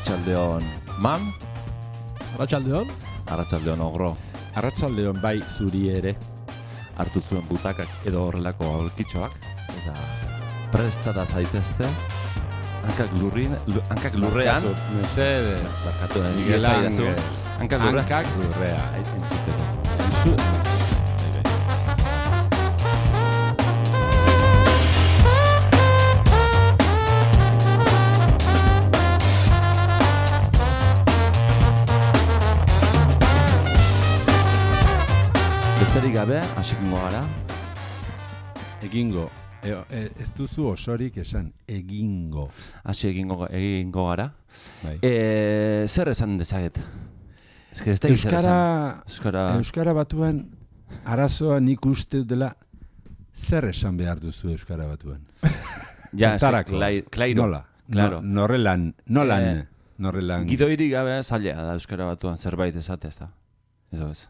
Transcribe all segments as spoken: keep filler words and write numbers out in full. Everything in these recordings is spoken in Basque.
Arratsaldeon man. Arratsaldeon. Arratsaldeon ogro. Arratsaldeon bai zuri ere. Hartu zuen butakak edo horrelako aulkitxoak eta prestada zaitezte. Hankak lurrin, hankak lurrean. Mesede. Barkatu da. Miguelan. Hankak lurrean. Hankak lurrea. Entzuteko. Besterik gabe, hasikingo gara. Egingo. E, e, ez duzu osorik esan, egingo. Hasi egingo, egingo gara. Bai. E, zer esan dezaget? Ez que ez da Euskara, Euskara... Euskara batuan arazoa nik uste dela zer esan behar duzu Euskara batuan. Ja, Zertarako? klai, klairo. Nola? Claro. No, norrelan, nolan, Eh, norrelan. Gidoirik gabe zaila da Euskara batuan zerbait esate ez da. Edo ez.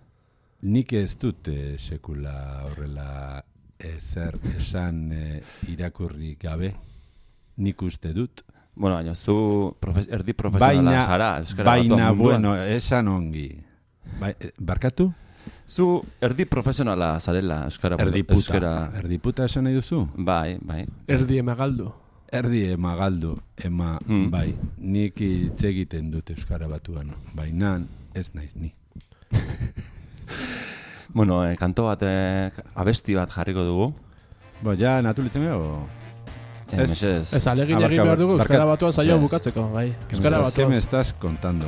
Nik ez dut eh, sekula horrela ezer esan eh, irakurri gabe. Nik uste dut. Bueno, baina zu profe, erdi profesionala Baina, zara Euskara baina batuan munduan. bueno, esan ongi. Bai, eh, barkatu? Zu erdi profesionala zarela Euskara Erdiputa. Euskara... Erdiputa esan nahi duzu? Bai, bai. Erdi emagaldu. Erdi ema galdu, ema Mm. bai. Nik hitz egiten dut Euskara batuan. Baina ez naiz ni. Bueno, eh, kanto bat, eh, abesti bat jarriko dugu. Bo, ja, natulitzen gero? Eh, Ez. mesedez. Ez alegin Ah, egin barka- behar dugu barka- Euskara batuan saioa Ez. bukatzeko, bai. Euskara ¿Qué batuan. me estás contando?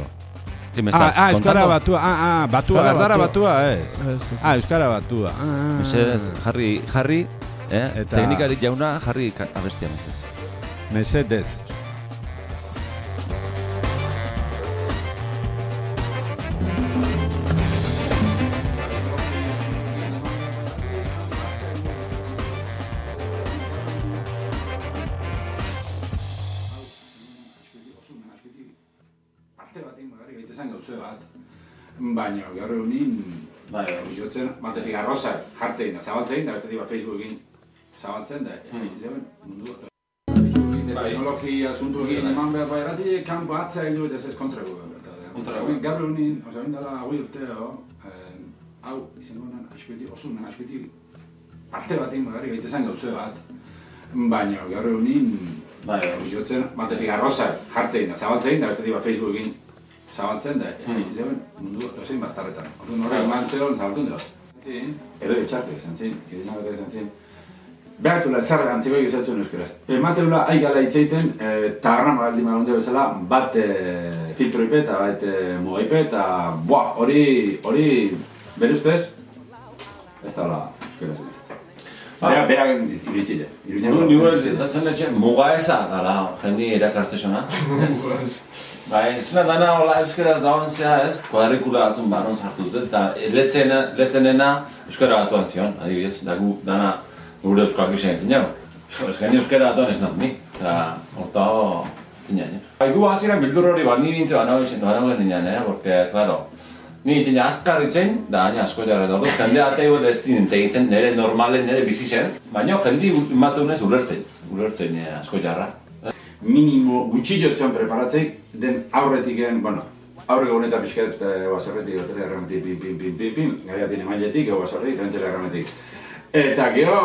¿Qué me Ah, estás ah, Euskara contando? batua, ah, ah, batua, Euskara erdara batua. batua, ez. Ez, ez. Ah, Euskara batua. Ah, ah, Mesedez, jarri, jarri, eh? Eta- Teknikarik jauna, jarri ka- abestia mesedez. mesedez. Baina, gaur egunin, Bai, jotzen, batetik arrozak jartzein da, zabaltzein da, bestetik Facebookin zabaltzen da, haitzi zeuden, mundu bat. Teknologia asuntuekin eman behar bairatik, kanpo atzea hildu eta ez kontrago. Kontrago. Gaur egunin, oza, bindala, hoi urteo, hau, izango nan, aspeti, osun, aspeti, parte batein bagarri gaitze zen gauze bat. Baina, gaur egunin, jotzen, batetik arrozak jartzein da, zabaltzein da, bestetik Facebookin zabaltzen da, haitzi zeuden mundu bat, ozein bastarretan. Orduan horrek eman zeon zabaltun dela. Edo etxarte izan zin, edina bat izan zin. Behartula ezarra antziko egizatzen euskaraz. Emateula aigala hitzeiten, eta garran magaldi magunde bezala, bat filtro ipe eta bat mugaipe eta buah, hori, hori, bere ustez, ez da hola euskaraz egiten. Berak, berak iritzile. Nigo zentzatzen letxe, muga eza dala, jendi erakartesona. Bai, ezuna dana hola euskaraz dagoen zea ez, kuadrikula batzun baron sartu dut, eta letzenena euskara batuan zion, adibidez, da gu dana gure euskal gizien egin jau. Ez geni euskara batuan ez nahi, eta horta ho, ez dinan, eh? Bai, gu hasieran bildur hori bat, ni nintze banagoen ninan, eh? Porque, claro, ni nintzen azkar itzen, da haina asko jarra dago, jende atei bat ez dinen tegitzen, nire normalen, nire bizitzen, baina jendi matunez ulertzen, ulertzen asko jarra. Minimo gutxillotzen preparatzeik, den aurretiken, bueno, aurreko honetan pixket baserretik, otela errametik, pin, pin, pin, pin, pin, gaiatin emailetik, ego baserretik, entela errametik. Eta gero,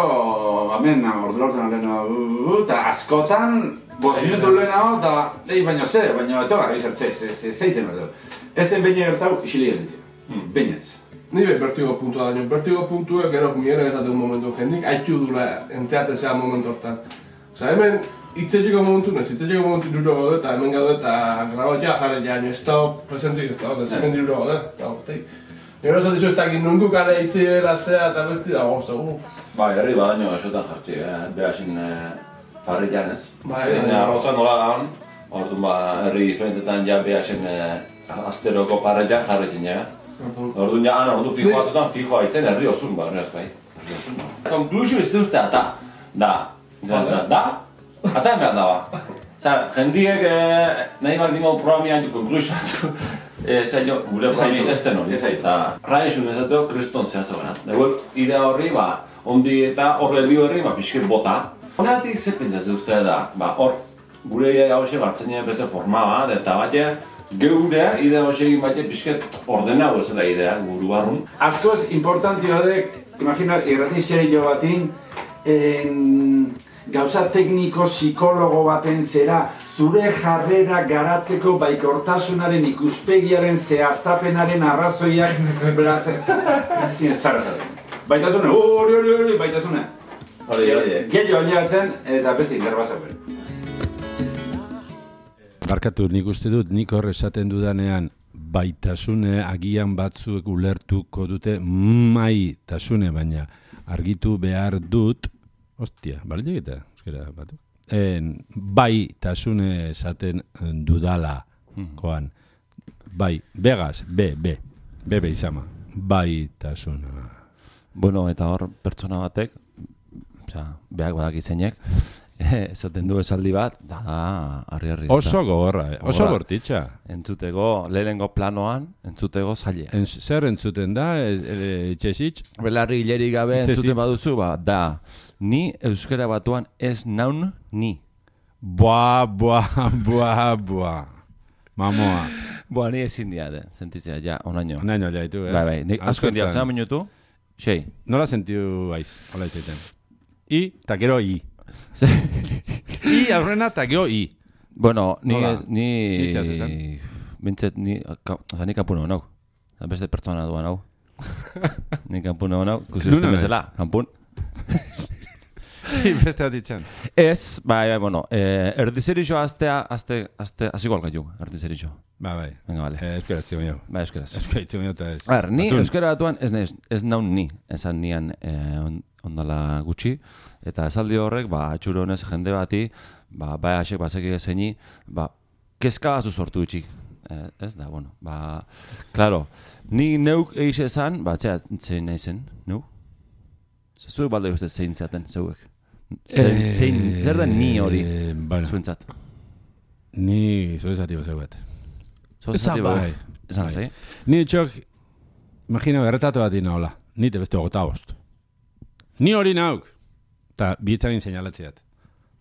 hemen, ordu laurten alena, eta askotan, bost minutu lehenago, eta, ei, baina ze, baina eto gara izan, ze, ze, ze, zeitzen berdu. Ez den behin gertau, isili gelditzen, behinez. Ni be bertigo puntua daño. Bertigo puntua gero miera esate un momentu jendik, haitu dula enteatzea momentu hortan. Osa, hemen, itzetxeko momentu, ez itzetxeko momentu duro gaude, eta hemen gaude, eta grabo ja jarre ja, ez da presentzik ez da, ez hemen duro gaude, eta horteik. Gero esatizu ez dakit nundu kare itzi bera zea eta besti da gozta, uff. Bai, herri badaino esotan jartzi, eh? Behasin farrilan ez. Bai, Zein bai. arroza nola gaun, orduan ba, herri diferentetan ja behasin asteroko parrilla jarretin ja. Orduan ja, ana, ordu fijo batzutan, fijo haitzen herri osun ba, horrez bai. Konklusio ez duzte ata, da, izan zena, da, ata emean daba. Zer, jendiek nahi bat dingo programian konklusio batzu, zailo, gure programian ez den hori. Rai esun ezateo, kriston zehazogena. Dago, idea horri, ba, ondi eta horre heldio horri, ba, pixket bota. Honeatik ze pentsatzen uste da, ba, hor, gure idea hoxe gartzen nien beste forma bat, eta bate, geure idea hoxe egin bate pixket ordenau ezela idea, guru barrun. Askoz importanti badek, imagina, irrati serio batin, en, gauza tekniko psikologo baten zera, zure jarrera garatzeko baikortasunaren ikuspegiaren zehaztapenaren arrazoiak beratzen. Tienes zarra. Baitasune, hori, hori, hori, baitasune. Hori, hori. Gello aliatzen eta beste interbazaupen. Barkatu, nik uste dut, nik hor esaten dudanean baitasune agian batzuek ulertuko dute maitasune, baina argitu behar dut, ostia, bale egita, euskera batu? En, baitasune esaten dudala, koan, bai, begaz, be, be, be, be izama, baitasuna. Bueno, eta hor pertsona batek, osea, beak badaki zeinek, esaten du esaldi bat, da, harri-harri. Oso gogorra, eh? Oso bortitza. Entzutego, lehenengo planoan, entzutego zaila. En, zer entzuten da, etxesitx? Belarri hilerik gabe entzuten baduzu, ba, da, ni euskara batuan ez naun ni. Boa, boa, boa, boa. Mamoa. Boa, ni ezin diade, sentitzea, ja, onaino. Onaino jaitu, ez? Bai, bai, nik asko indiak, zera minutu, sei. Nola sentiu aiz, hola izaiten. I, eta gero I. I aurrena eta gero I. Bueno, ni... Nola? ni Nitzaz esan? Bintzet, ni... Oza, ni kanpun hau. Beste pertsona duan hau. Ni kanpun hau nau. Kusi uste bezala, kanpun. Beste bat itxan. Ez, bai, bai, bueno, eh, erdizerixo aztea, azte, azte, aziko algaiu, erdizerixo. Ba, bai. Venga, vale. Eh, euskara zion jo. Bai, euskaraz. Euskara zion jo eta ez. A ver, ni Atun. euskara batuan ez, ez, ez naun ni, esan nian eh, on, ondala gutxi, eta esaldi horrek, ba, atxuro honez jende bati, ba, bai asek bazeki zeini, ba, kezka bazu sortu itxi. Eh, ez da, bueno, ba, claro, ni neuk eixe esan, ba, txea, zein nahi zen, neu? Zuek balde uste zein zaten, zeuek. Zein, Eh, zein, zer da ni hori, bueno, zuentzat? ni zoezati bazeu bat. Esan ba. bai. Esan zai. Ni txok, imagina berretatu bat ina hola. Ni te beste ogota bost. Ni hori nauk. Ta bihitzagin seinalatziat.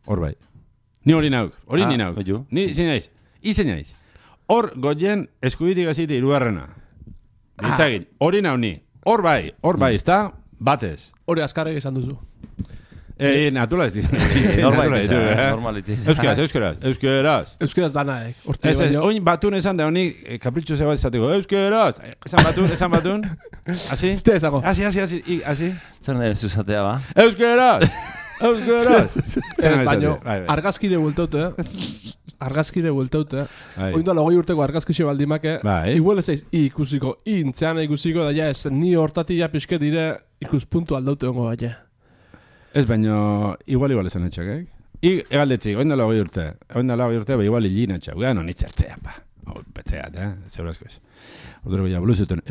Hor bai. Ni hori nauk. Hori Ah, ni nauk. oiu. Ni zein naiz. I zein naiz. Hor goien eskubitik azite irugarrena. Bihitzagin. Hori nau ni. Hor bai. Hor bai, ezta? Batez. Hori azkarrek esan duzu. Eh, natula ez ditu. Normal itxeza, normal itxeza. Euskaraz, euskaraz, euskaraz. Euskeraz danaek. Hortik Ez, ez, baino. oin batun esan da honi eh, kapritxo zebat izateko. Euskaraz. Esan batun, esan batun. Asi? Este ezago. Asi, asi, asi, i, asi. Zer nahi zuzatea, ba? Euskaraz. Euskaraz. Ez, baino, Bai, bai. argazkire bueltaute, argazkire bueltaute. Bai. Oin da logoi urteko argazkixe baldimake. Bai. Igual ez eiz, i ikusiko, i intzean ikusiko, da ja ez, ni hortati ja pixke dire ikuspuntu aldaute hongo bat, ja. Ez baino, igual igual esan etxak, eh? I, egaldetzik, oin dala hogei urte. Oin dala hogei urte, ba igual hilin etxak. Gano, nitzertzea, pa. Oh, betzeat, eh? Zeurazko ez. Odoro bila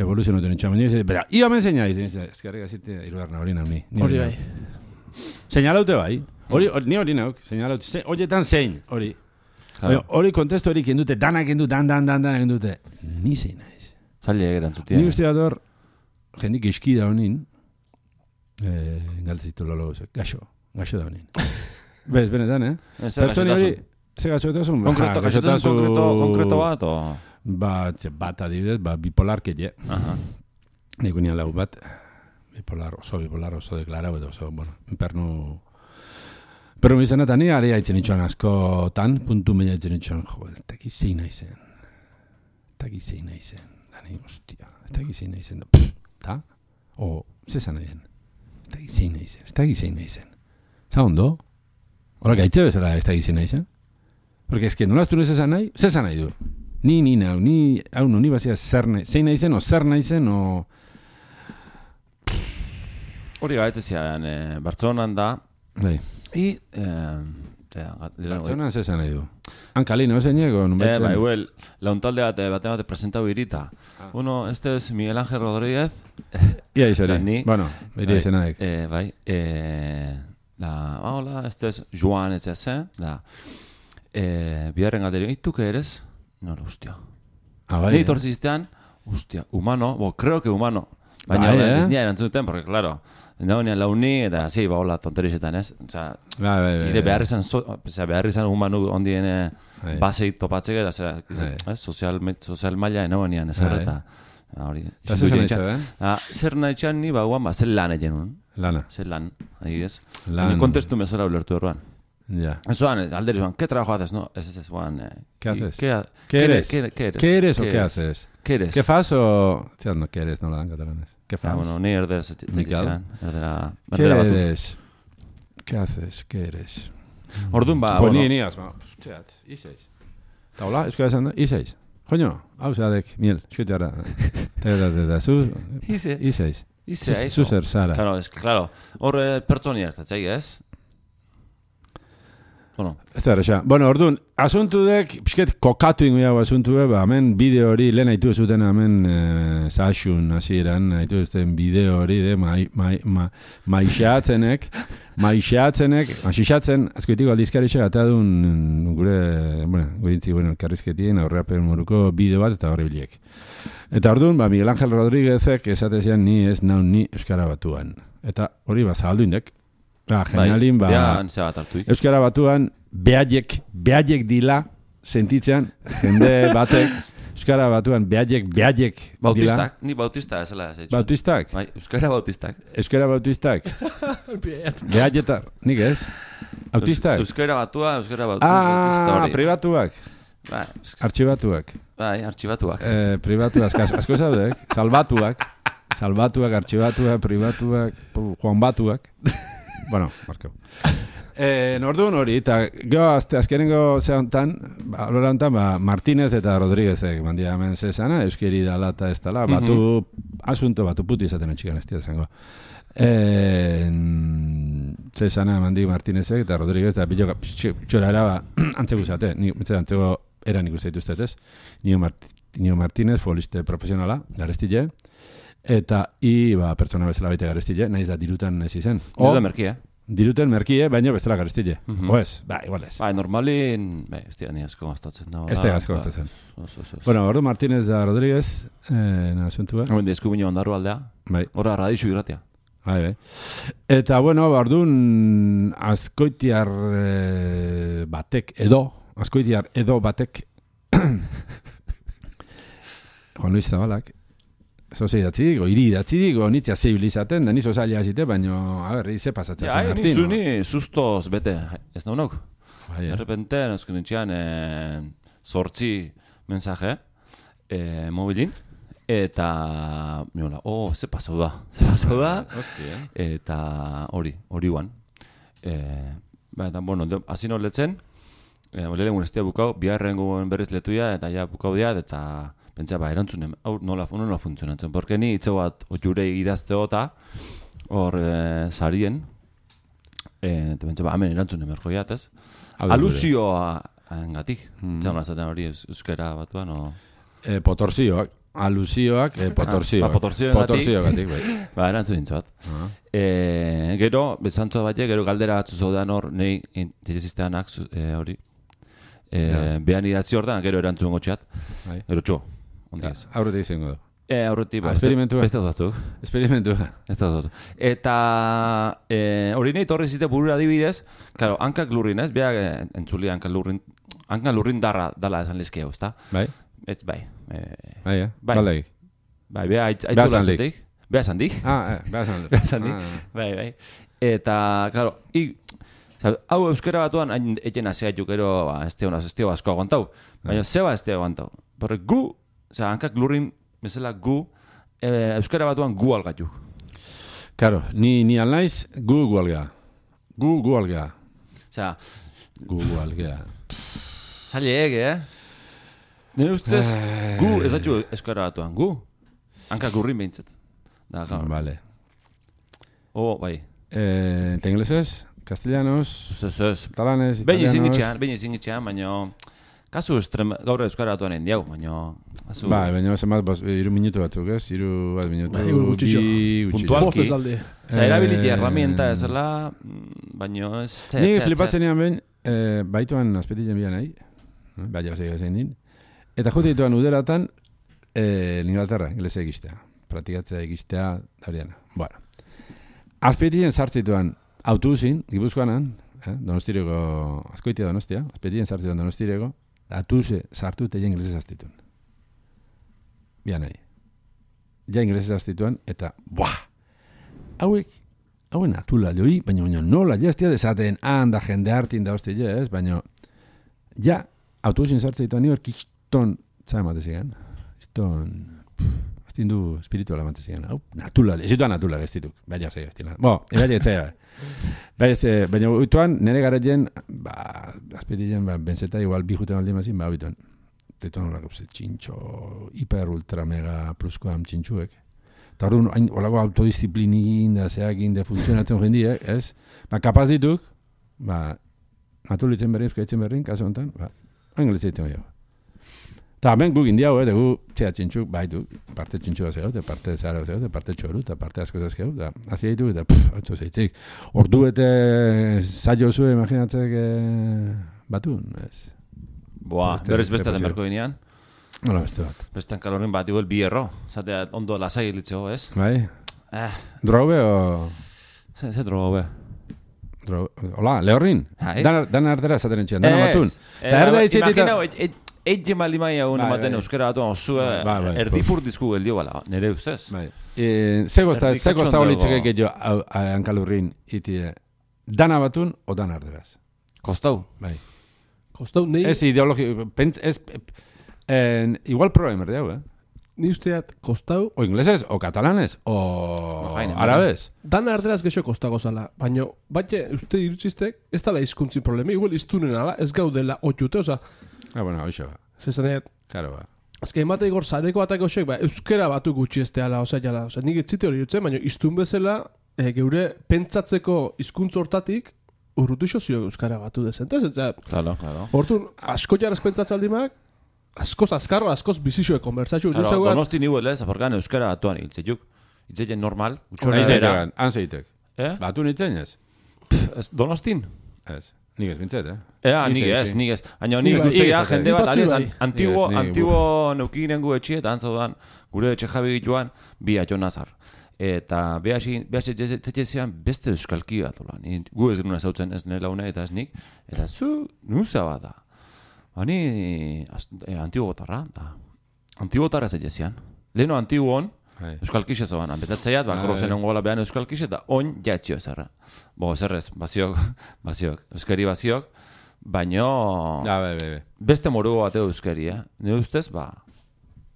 evoluzionuten etxak. Baina, bera, i hamen zeina izan, ezkerrik azite irugarna hori nahi. Hori bai. Seinalaute bai. Hori, hori- ni hori nauk, seinalaute. Ze- Horietan zein, hori. Oio, hori kontestu hori kendute, danak kendute, dan, dan, dan, dan, kendute. Ni zein naiz. Zaila erantzutia. Ni uste dut hor, jendik eski da honin, eh, galtzitu lolo guzek, gaxo, gaxo da honin. Bez, benetan, eh? Pertsoni hori, ze gaxotasun? Ba, Konkreto, gaxotasun konkreto, konkreto bat, o... Bat, ze bat adibidez, ba, bipolar keie. Aha. Nik unian lau bat, bipolar, oso bipolar, oso deklarau, edo oso, bueno, pernu... Pernu izan eta ni ari haitzen itxoan askotan, puntu meia haitzen itxoan, jo, ez dakit zein naizen. Ez dakit zein naizen. Dani, ostia, ez dakit zein naizen. Pff, ta? O, zezan nahi den. Ez dakit zein naizen, ez dakit zein naizen. Za ondo? Hora gaitze bezala ez dakit zein naizen? Porque ez que nola aztu nezezan nahi, zezan nahi du. Ni, ni nau, ni, hau no, ni bazia zer nahi, zein naizen, o zer naizen, o... Hori gaitzea, eh, Bartzonan da, Bai. i... Eh, Bartzonan zezan nahi du. Hankalino, zeinego, nun Eh, bai, huel, launtalde bat, eh, bate bate presentau irita. Uno, este es Miguel Ángel Rodríguez. Ia izari. Zer, ni- Bueno, beri Bai, izenaek. Eh, bai, eh, la, hola, este es Joan, ez zen, da, eh, biharren galderi, ¿y tú qué eres? No, hostia. Ah, bai, Ni eh? etortziztean, hostia, humano, bo, creo que humano. Baina, Bai, bai, eh? ez nia erantzun duten, porque, claro, nagoenean launi, eta, zi, ba, hola, tonterizetan, ez? Osea, Bai, bai, bai. nire behar izan, so, osea, behar izan humanu ondien Bai. basei topatzeke, eta, osea, Bai. ez, sozial, sozial maila nagoenean, ez Bai. eta, hori. Eta zer nahi zeu, eh? Ah, zer nahi txan ni, ba, guan, ba, zer lan egin nun. Lana. Zer lan, adibidez. Lan. Ni kontestu mesora ulertu erruan. Ya. Eso es, alderi Juan, ¿qué trabajo haces? No, es es Juan. Eh, ¿Qué haces? ¿Qué, ¿Qué eres? ¿Qué, qué eres? ¿Qué eres o qué haces? ¿Qué eres? ¿Qué fas o...? Tía, no, ¿qué eres? No lo dan catalanes. ¿Qué fas? Ah, bueno, ni erdera Mikel. erdera ¿Qué erdera batu. eres? ¿Qué haces? ¿Qué eres? Orduan ba, Jo, bueno. ni niaz, ba. Txat, izeiz. Eta hola, euskara esan da, izeiz. Joño, hau zadek, miel, xuete ara. Eta, eta, zu, Ize. izeiz. Ize, Zu- eso. Zu zer, zara. Claro, es que claro, hor eh, pertsoni hartatzei, ez? Bueno, Ez da erresa. Bueno, orduan, asuntu dek, pixket kokatu ingo jago asuntu dek, ba, hemen bideo hori, lehen haitu zuten hemen e, zaxun hasieran haitu zuten bideo hori, de, mai, mai, ma, maixeatzenek, maixeatzenek, masixatzen, azkoitiko aldizkarixek, eta duen gure, bueno, goitintzi, bueno, elkarrizketien, aurreapen moruko bideo bat, eta horri biliek. Eta orduan, ba, Miguel Ángel Rodríguezek esatezian ni ez nau ni Euskara Batuan. Eta hori, ba, zabaldu indek. Ba, genialin, ba... ja, antzea bat hartuik. Euskara Batuan behaiek, behaiek dila sentitzean, jende batek, Euskara Batuan behaiek, behaiek dila. Bautistak, ni bautista ezela ez. Bautistak? Bai, euskara bautistak. Euskara Bautistak? Behaietar, nik ez? Autistak? Euskara batua, euskara bautista Ah, hori. pribatuak, Bai, artxibatuak, bai, artxibatuak. eh, pribatuak, asko, asko zaudek, salbatuak, salbatuak, artxibatuak, pribatuak, Juan Batuak. Bueno, Marko. Eh, Nordun hori, eta gero azte azkenengo zehantan, ba, lora hontan, ba, Martínez eta Rodríguezek mandia hemen zezana, euskeri dala eta ez dala, batu, asunto batu puti izaten etxikan ez zango. Eh, zezana mandi Martínezek eta Rodríguez, eta bilo txora era, ba, antzeko zate, ni, antzeko eran ikusten dituztet ez, Nio, Mart, Nio Martínez, futboliste profesionala, garestile, eta i, ba, pertsona bezala baita garestile, nahiz da dirutan ez izen. O, da merkia. Diruten merkie, baina bestela garestile. Mhm. O ez, ba, igual ez. Bai, normalin, bai, ez dira ni asko gastatzen. No, Ez da asko gastatzen. Oso, oso. Bueno, ordu Martínez da Rodríguez, eh, na asuntua. Hemen eskubiño ondarru aldea. Bai, Hora radixu irratia. bai, bai. Eta, bueno, orduan azkoitiar eh, batek edo, azkoitiar edo batek Juan Luis Zabalak, zoze idatzi digo, iri idatzi digo, nitzia zeibil izaten, da nizo zaila azite, baina, a ber, ize pasatzen Ja, zuen ni Martino. zuni sustoz bete, ez naunok. Bai, De eh. repente, nozken nintxean, eh, sortzi mensaje, eh, mobilin, eta, miola, oh, ze pasau da, ze pasau da, eta hori, hori guan. Eh, ba, eta, bueno, de- hasi no letzen, eh, lehen estia bukau, biharrengo berriz letuia, eta ja bukau diat, eta pentsa, ba, erantzunen, hau nola, nola funtzionatzen, porque ni itze bat otjure idazteo eta hor eh, sarien, eh, eta pentsa, ba, hemen erantzunen berko jat, ez? Hau da gure. Alusioa engatik, Mm. mm. zaten hori eus- euskara batuan, o... Eh, potorzioak, alusioak, eh, potorzioak. Ah, ba, potorzioagatik. Potorzioagatik, bai. Ba, erantzun nintzat. Ah. E, gero, bezantzua batek, gero galdera batzu zaudean hor, nahi direzisteanak e, hori. E, Ja. Behan idatzi hor da, gero erantzun gotxeat. Bai. Gero txo, ondi ez. Aurretik izango du. E, aurretik, Ah, esperimentua. Beste batzuk. Esperimentua. Ez da batzuk. Eta e, hori nahi torri zite burura adibidez, claro, hankak lurrin ez, beha e, entzuli hankak lurrin, hankak lurrin darra dala esan lizkeo, ezta? Bai? Ez, bai. E, Bai, eh? Bai. Baldegi. bai, beha aitz, Beha aitzula zandik. zetik. Beha zandik. Ah, eh, behar zan. Behar zan di. Ah, Bai, bai. Eta, claro, i, zau, hau euskara batuan, hain eten azea jukero, ba, ez teo, ez teo asko aguantau. Baina, zeba ez teo aguantau. Porque gu, oza, hankak lurrin, bezala gu, e, euskara batuan gu algatu. Karo, ni, ni alnaiz, gu gualga. Gu gualga. Osea, Gu gualga. zaila ege, eh? Nire ustez, gu, ez datu euskara batuan, gu. Hankak lurrin behintzat. Da, claro. Vale. Oh, bai. Eh, ¿te inglesez? Castellanos? Ez, ez, ez. Catalanes? Behin izin italianos? gitxean, behin izin gitxean, baina... Kasu estrem, gaur euskara batuan endiau, baina... Kasu... Bai, baina zenbat, bos, iru minutu batzuk, ez? Iru bat minutu. Bai, iru gutxixo. bi gutxixo. Puntual. Bost ez alde. Osa, erabilite Eh, herramienta ezela, mm, baino ez... Zer, Ni zer, flipatzen nian behin, eh, baituan azpetitzen bian nahi, bai, jau zeik zein din, eta jute dituan uderatan, eh, Inglaterra, inglese egistea. praktikatzea ikistea, dauriana. Bueno. Azpeitien sartzituan autobusin, Gipuzkoanan, eh? Donostireko, azkoitia Donostia, azpeitien sartzituan Donostireko, autobuse sartu eta ja inglesez aztituen. Bian nahi. Ja inglesez aztituen, eta, buah! Hauek, hauen atula hori, baina baina nola, ja ez tia desaten, handa jende hartin da hosti, ez, baina, ja, autobusin sartzituan niber kiston, txai matezigan, kiston, aztin du espirituala matezigan, hau, natula, ez zituan natula gestituk, baina zei gestila. Bo, ebaile etzea, baina, baina uituan, nire garetien, ba, azpetien, ba, benzeta igual bi juten aldi mazin, ba, uituan, tetuan hola gauze, txintxo, hiper, ultra, mega, plusko am txintxuek. Eta hori, holako autodisziplinin, da zeakin, da funtzionatzen jendiek, ez? Ba, kapaz dituk, ba, natulitzen berrin, euskaitzen berrin, kaso honetan, ba, anglezitzen gehiago. Eta hemen guk indiago, eh, gu, txea txintxuk, baitu, parte txintxua zehau, eta parte zara zehau, eta parte txoru, eta parte asko zehau, eta hazi ditu, eta pff, hau zeitzik. Ordu bete zailo zuen, imaginatzek, eh, batun, ez? Boa, berriz beste den berko ginean. Hola, beste bat. Bestean kalorin bat, igual bi erro. Zatea, ondo lasai elitzeo, ez? Bai? Eh. Drobe o... Ze, ze drobe? Drobe... Hola, lehorrin? Hai. Dan, dan ardera zaten entxean, dan amatun. Eta erde ditzitita... Imagina, eit jemali maia egun ematen euskera batu osua, erdipur dizku geldio bala, nire ustez. Bai. Zego ezta holitzeke gehiago hankalurrin iti dan abatun o dan arderaz. Kostau? Bai. Kostau, nahi... Ez ideologi... Ez... En, igual problema erdeu, eh? Ni usteat kostau... O inglesez, o katalanez, o no, arabez. Dan arderaz gexo kostago zala, baina batxe uste irutzistek ez dala izkuntzin problemi, igual iztunen ala, ez gaudela otxute, oza... Ah, bueno, hoxo ba. Zezaneat... Karo ba. Azke emate igor zareko atak osoek, ba, euskera batu gutxi este ala, oza, jala, oza, nik etzite hori jutzen, baina iztun bezala, e, geure pentsatzeko hizkuntz hortatik, urrutu iso zio euskara batu dezentez, eta... Claro, claro. Hortun, asko jaraz pentsatzealdimak, askoz azkarro, askoz bizixoe konbertsatxu. Claro, donosti nibuel ez, aporkan euskara batuan hiltzetuk. Hiltzeien normal. Hiltzeiten, anzeitek. Eh? Batu nintzen ez? Donostin? Ez. Nik ez bintzet, eh? Ea, nik ez, nik ez. Aina nik ez usteia jende bat, aliz, antigo, antigo neukinen gu etxie, eta antzaudan, gure etxe jabi gituan, bi atxo nazar. Eta behaz etxezian beste euskalki bat, gu ez gure zautzen ez nire laune eta ez nik, eta zu, nuza bat da. Bani, eh, antigotarra, da. Antigotarra ez etxezian. Leheno antigoan, euskalkixe zoan, anbetatzeiat, bakaro zen ongola behan euskalkixe, eta on jatxio ezerra. Bo, ezerrez, baziok, baziok, euskari baziok, baino... Ja, be, be, be. Beste morugo bateo euskari, eh? Ne ustez, ba...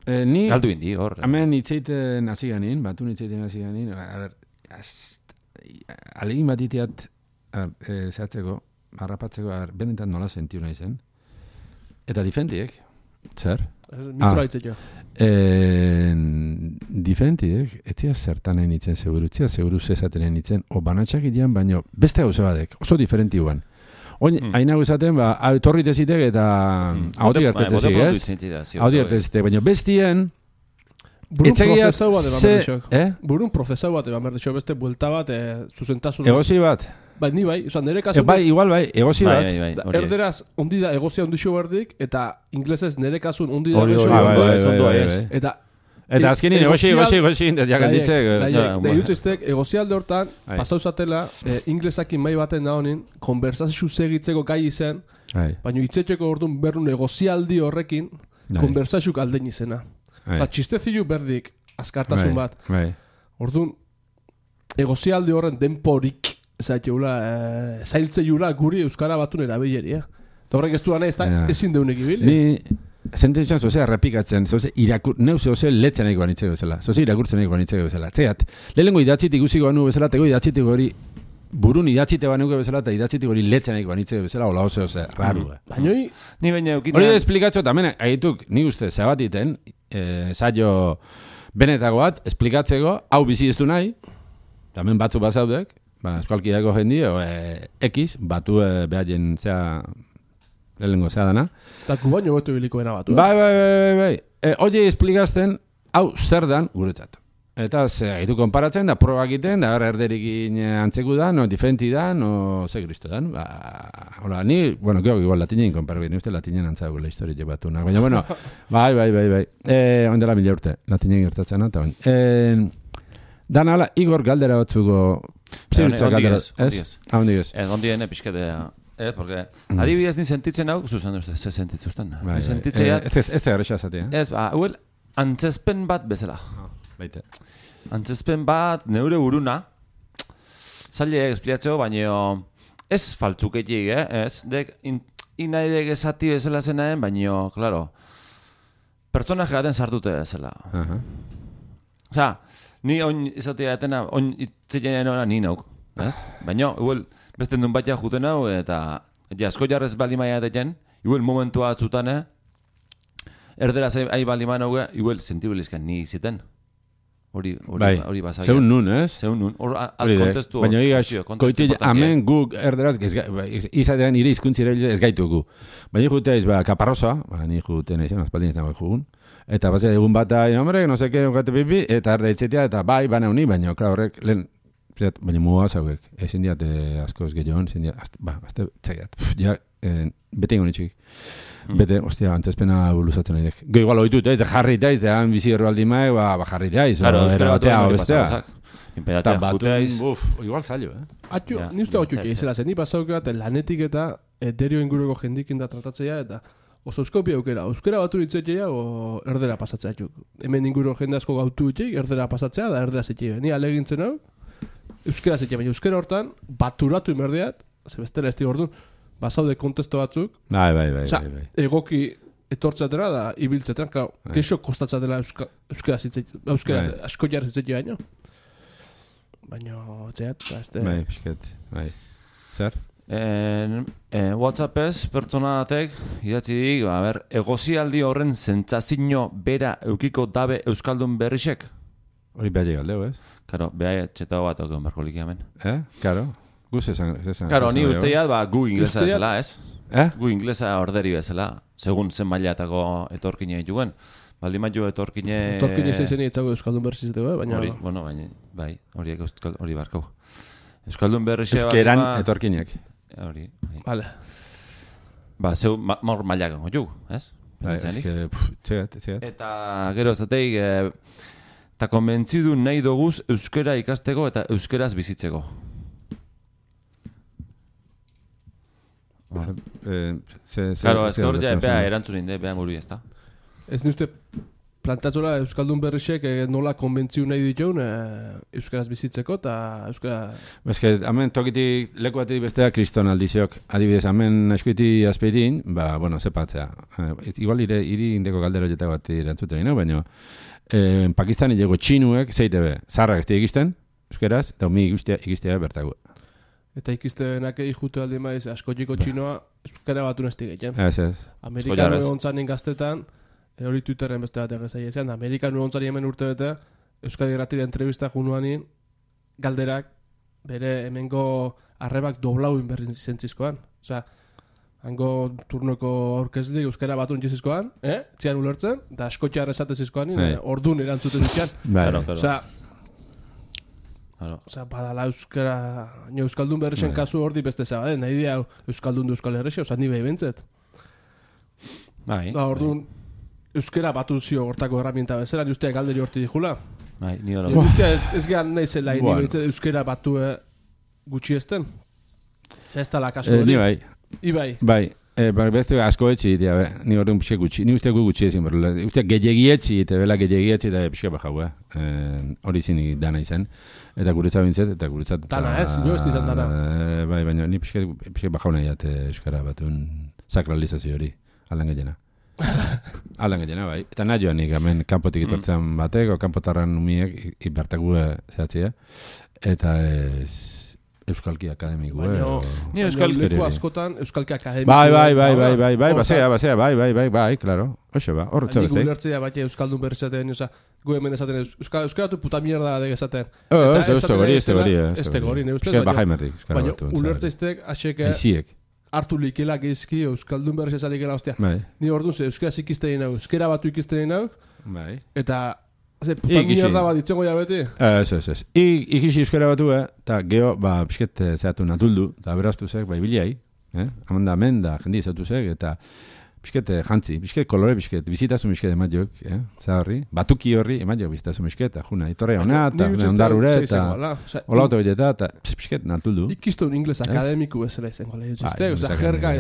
Eh, ni... Galdu indi, hor. Hemen itzeiten hasi ganin, batu itzeiten hasi ganin, a ber, alegin bat iteat, e, zehatzeko, harrapatzeko, a ber, benetan nola sentiu nahi zen. Eta difentiek, zer? Mikroa itzeko. Difentiek, etzia zertan nahi nitzen seguru, etzia seguru zezaten nahi nitzen, o banatxak idean, baino beste gauze badek, oso diferenti guan. Oin, mm. hain hau esaten, ba, torri tezitek eta mm. hauti gertetzezik, ez? Hauti gertetzezik, baina bestien... Burun prozesau bat eban berdexok. Eh? Burun prozesau bat eban berdexok, beste buelta bat, e, zuzentasun... Egozi bat. Bai, ni bai, oza, nire kasun... E, bai, igual bai, egozi bat. Bai, bai, bai, erderaz, ondi da egozia ondixo berdik, eta inglesez nire kasun ondi da egozio berdik. Eta... Eta azkenin egozi, egozi, egozi, jakanditzek. Da irutziztek, egozialde hortan, pasauzatela, inglesakin mai baten da honin, konversazio segitzeko gai izen, baina itzetxeko orduan berrun egozialdi horrekin, konversazioak aldein izena. Eta txistezilu berdik, azkartasun bat. Orduan, egozialdi horren denporik, zailtze jura guri euskara batun erabileri, eh? Eta horrek ez duan ez da, ezin deunek ibili. Ni... Sententzia zozea errepikatzen, zoze irakur, neu zoze letzen nahi guanitzeko bezala, zoze irakurtzen nahi guanitzeko bezala. Zeat, lehenengo idatzitik guziko banu bezala, tego idatzitik hori, burun idatzite banuke bezala, eta idatzitik hori letzen nahi guanitzeko bezala, hola oso, oze, raru. Baina hori... Ni baina eukinean... Hori da esplikatzo, eta mena, agituk, nik uste, zabatiten, saio benetako bat, esplikatzeko, hau bizi ez du nahi, tamen batzu bazaudek, ba, eskualkideako jendi, X, batu behaien, zea... Lehenengo zea dana. Eta kubaino betu bilikoena batu. Bai, bai, bai, bai. E, Oie esplikazten, hau zer dan guretzat. Eta ze gaitu konparatzen, da proba egiten, da erderikin antzeku da, no difenti da, no ze kristo dan. Ba, hola, ni, bueno, geok igual latinen konparabit, ni uste latinen antzago la historia jebatu. Baina, bueno, bai, bai, bai, bai. Eh, ondela mila urte, latinen gertatzen, eta bain. Eh, dan ala, Igor galdera batzuko... Ondiez, ondiez. Ah, ondiez. Ez, ondien epizkete... Eh, porque adibidez ni sentitzen hau, zuzen duzte, ze sentitzuzten. Ni sentitzen ja... Ez ez garrisa zati, eh? Ez, ba, huel, antzespen bat bezala. Baite. Antzespen bat, neure uruna, zaile espliatzeo, baina ez faltzuketik, eh? Ez, dek, in, inaidek esati bezala zenaen, baina, klaro, pertsonak gaten sartute bezala. Uh-huh. Osa, ni oin izatea etena, oin itzeien hona ni nauk, ez? Baina, huel, beste nun batia juten hau, eta ja, asko jarrez bali maia deten, igual momentua atzutane, erderaz ahi bali maia hau, igual sentibelizkan ni iziten. Hori, hori, bai, hori basagia. Zeun nun, ez? Zeun nun, hor kontestu. Baina hori, koiti, amen guk erderaz, izatean ire izkuntzire ez gaitugu. Baina jutea iz, ba, kaparrosa, ba, ni juten izan, azpaldin izan jugun, eta bazea egun bat da, hombre, no seke, nukate pipi, eta erda itzetea, eta bai, bana honi, baina, klar, horrek, lehen, baina mua zauek, ezin diat asko ez gehiagoan, ezin diat, ba, azte, txegiat, ja, bete ingo nitxik. Bete, ostia, antzespena luzatzen nahi dek. Go igual oitut, ez, de jarri daiz, de han bizi horbaldi maek, ba, ba jarri daiz, claro, era batea, o bestea. Eta batun, buf, igual zailo, eh? Atxo, ni uste hau txuki, izela zen, ni pasauke bat, lanetik eta derio inguruko jendikin da tratatzea, eta oso euskopia aukera, euskera batu ditzetea, o erdera pasatzea txuk. Hemen inguru jende asko gautu ditzeik, erdera pasatzea, da erdera zetxe. Ni alegintzen hau, euskera zetxe, baina euskera hortan, baturatu imerdeat, ze bestela ez ordu, basaude kontesto batzuk. Bai, bai, bai, Osa, bai, bai. egoki etortzatera da ibiltzatera, claro, kexo kostatzatela euska, euskera zitzaitu, euskera bai. asko jarri zitzaitu baino. Baina, txeat, ba, ez de... Bai, pisket, bai. Zer? En, en WhatsAppez pertsona batek idatzi dik, ba, ber, egozialdi horren zentzazio bera eukiko dabe euskaldun berrisek. Hori behar galdeu, ez? Karo, beha txetao bat okon berko likiamen. Eh? Karo? Guz esan... Karo, ni usteiat, ba, gu inglesa bezala, ez? Eh? Gu inglesa orderi bezala, segun zen mailatako etorkine dituen. Baldi maiu etorkine... Etorkine zezen itzago euskaldun berriziteko, eh? Baina... Hori, bueno, baina, bai, horiek hori barkau. Euskaldun berrixe... Euskeran etorkinek. Hori, bai. Vale. Ba, zeu, maur mailak gango ju, ez? Bai, ez que, txegat, txegat. Eta, gero, zateik, eta konbentzidu nahi doguz euskera ikasteko eta euskeraz bizitzeko. Claro, ez gaur ja epea erantzunin de, beha muru ezta. Ez nuzte plantatzola euskaldun berrisek nola konbentziu nahi dituen euskaraz bizitzeko eta euskara... Ez que, hemen tokitik leku batetik bestea kriston aldiziok. Adibidez, hemen eskuiti azpeitin, ba, bueno, zepatzea. Igual ire, iri indeko galdero jetako bat erantzuten ino, baina en Pakistan ilego txinuek, zeite be, zarrak ez egisten, euskeraz, eta mi ikistea bertago. Eta ikiztenak jute aldi maiz, askotiko txinoa, euskara batu nezti gehien. Ez, ez. Amerikanu egontzanen gaztetan, hori Twitterren beste batek ezai ezean, Amerikanu egontzari hemen urte bete, Euskadi Gratira entrevista junuanin, galderak, bere hemengo arrebak doblau inberrin zentzizkoan. Osa, hango turnoko aurkezlik euskara batu entzizizkoan, eh? Txian ulertzen, da askotxa arrezatezizkoan, ordun erantzuten dutxan. Osa, Osa, badala euskara, nio euskaldun berrexen kasu hor di beste zaba, nahi dia euskaldun du euskal herrexe, osa, ni behi bentzet. Bai. Da, orduan, euskara batu zio hortako herramienta bezala, ni ustea galderi horti dijula. Bai, ni hori. Ni ustea ez, ez gehan nahi zela, ni behintzet euskara batu gutxi ezten. Zer ez tala kasu hori. Ni bai. Ibai. Bai. Eh, beste asko etxi, tia, be. Ni hori un pixe gutxi. Ni uste gu gutxi ezin, berrela. Uste gehiagi etxi, eta bela gehiagi etxi, eta pixe bajau, eh. Hori zini dana izan. Eta guretzat bintzet, eta guretzat... Dana, ez? Nio ez dizan dana. Bai, baina ni pixe, pixe bajau nahi jat euskara bat un sakralizazio hori. Aldan gehiena. Aldan gehiena, bai. Eta nahi joan nik, hemen kanpotik itortzen batek, o kanpotarran umiek, ibertaku zehatzia. Eta ez... Euskalki Akademiku, eh? Ni Euskalki leku askotan, Euskalki Akademiku... Bai, bai, bai, bai, bai, bai, basea, basea, bai, bai, bai, bai, claro. Oxe, ba, horretza beste. Nik ulertzea bat Euskaldun berrizaten, oza, gu hemen esaten, Euskaratu puta mierda dek esaten. Oh, ez da gori, ez da gori, ez da gori, ne ustez, baina ulertzeiztek, aseke, hartu likela geizki Euskaldun berrizatzen ikela, ostia. Ni orduan ze, Euskaraz ikiztein hau, Euskara batu ikiztein hau, eta Ze, puta mierda bat ditzengo ja beti? Ez, ez, ez. Ikisi euskara batu, eta geho, ba, pisket zehatu natuldu, eta beraztu zek, ba, ibiliai, eh? Amanda amenda, jendi zehatu zek, eta pisket jantzi, pisket kolore, pisket, bizitasun pisket emat jok, eh? Zaharri, batuki horri, emat jok bizitasun pisket, eta juna, itorre hona, eta ondarrure, eta hola autobileta, eta pisket natuldu. Ikiztu un ingles akademiku bezala izango lehi txiste, oza, jerga,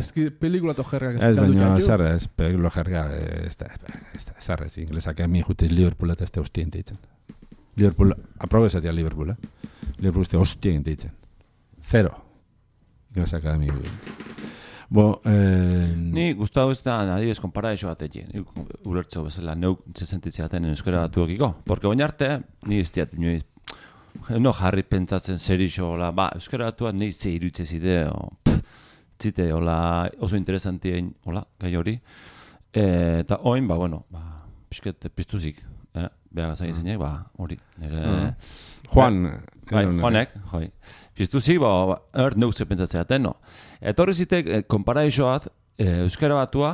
pelikula to jerga. Ez, baina, zarra, ez, pelikula jerga, ez da, ez da, zarra, ez, ingles akademi jute Liverpool eta ez da hostien teitzen. Liverpool, aprobezatia Liverpool, eh? Liverpool ez da hostien teitzen. Zero. Ingles akademi. Bo, eh... Ni gustatu ez da, adibidez, konpara eixo bat egin. Ulertzeo bezala, neuk sentitzea aten euskara batuekiko. Porque baina arte, ni ez diat, no jarri pentsatzen zer iso, ba, euskara batuak ni ze irutze zide, o, pff, zite, hola, oso interesantien, hola, gai hori. Eta oin, ba, bueno, ba, pisket piztuzik, eh? Beha gazai zeinek, ba, hori, nire... Juan... Bai, Juanek, joi. Piztuzik, ba, er, neuk ze pentsatzea aten, no. Eta horri zitek, eh, konparaixoat, eh, euskara batua,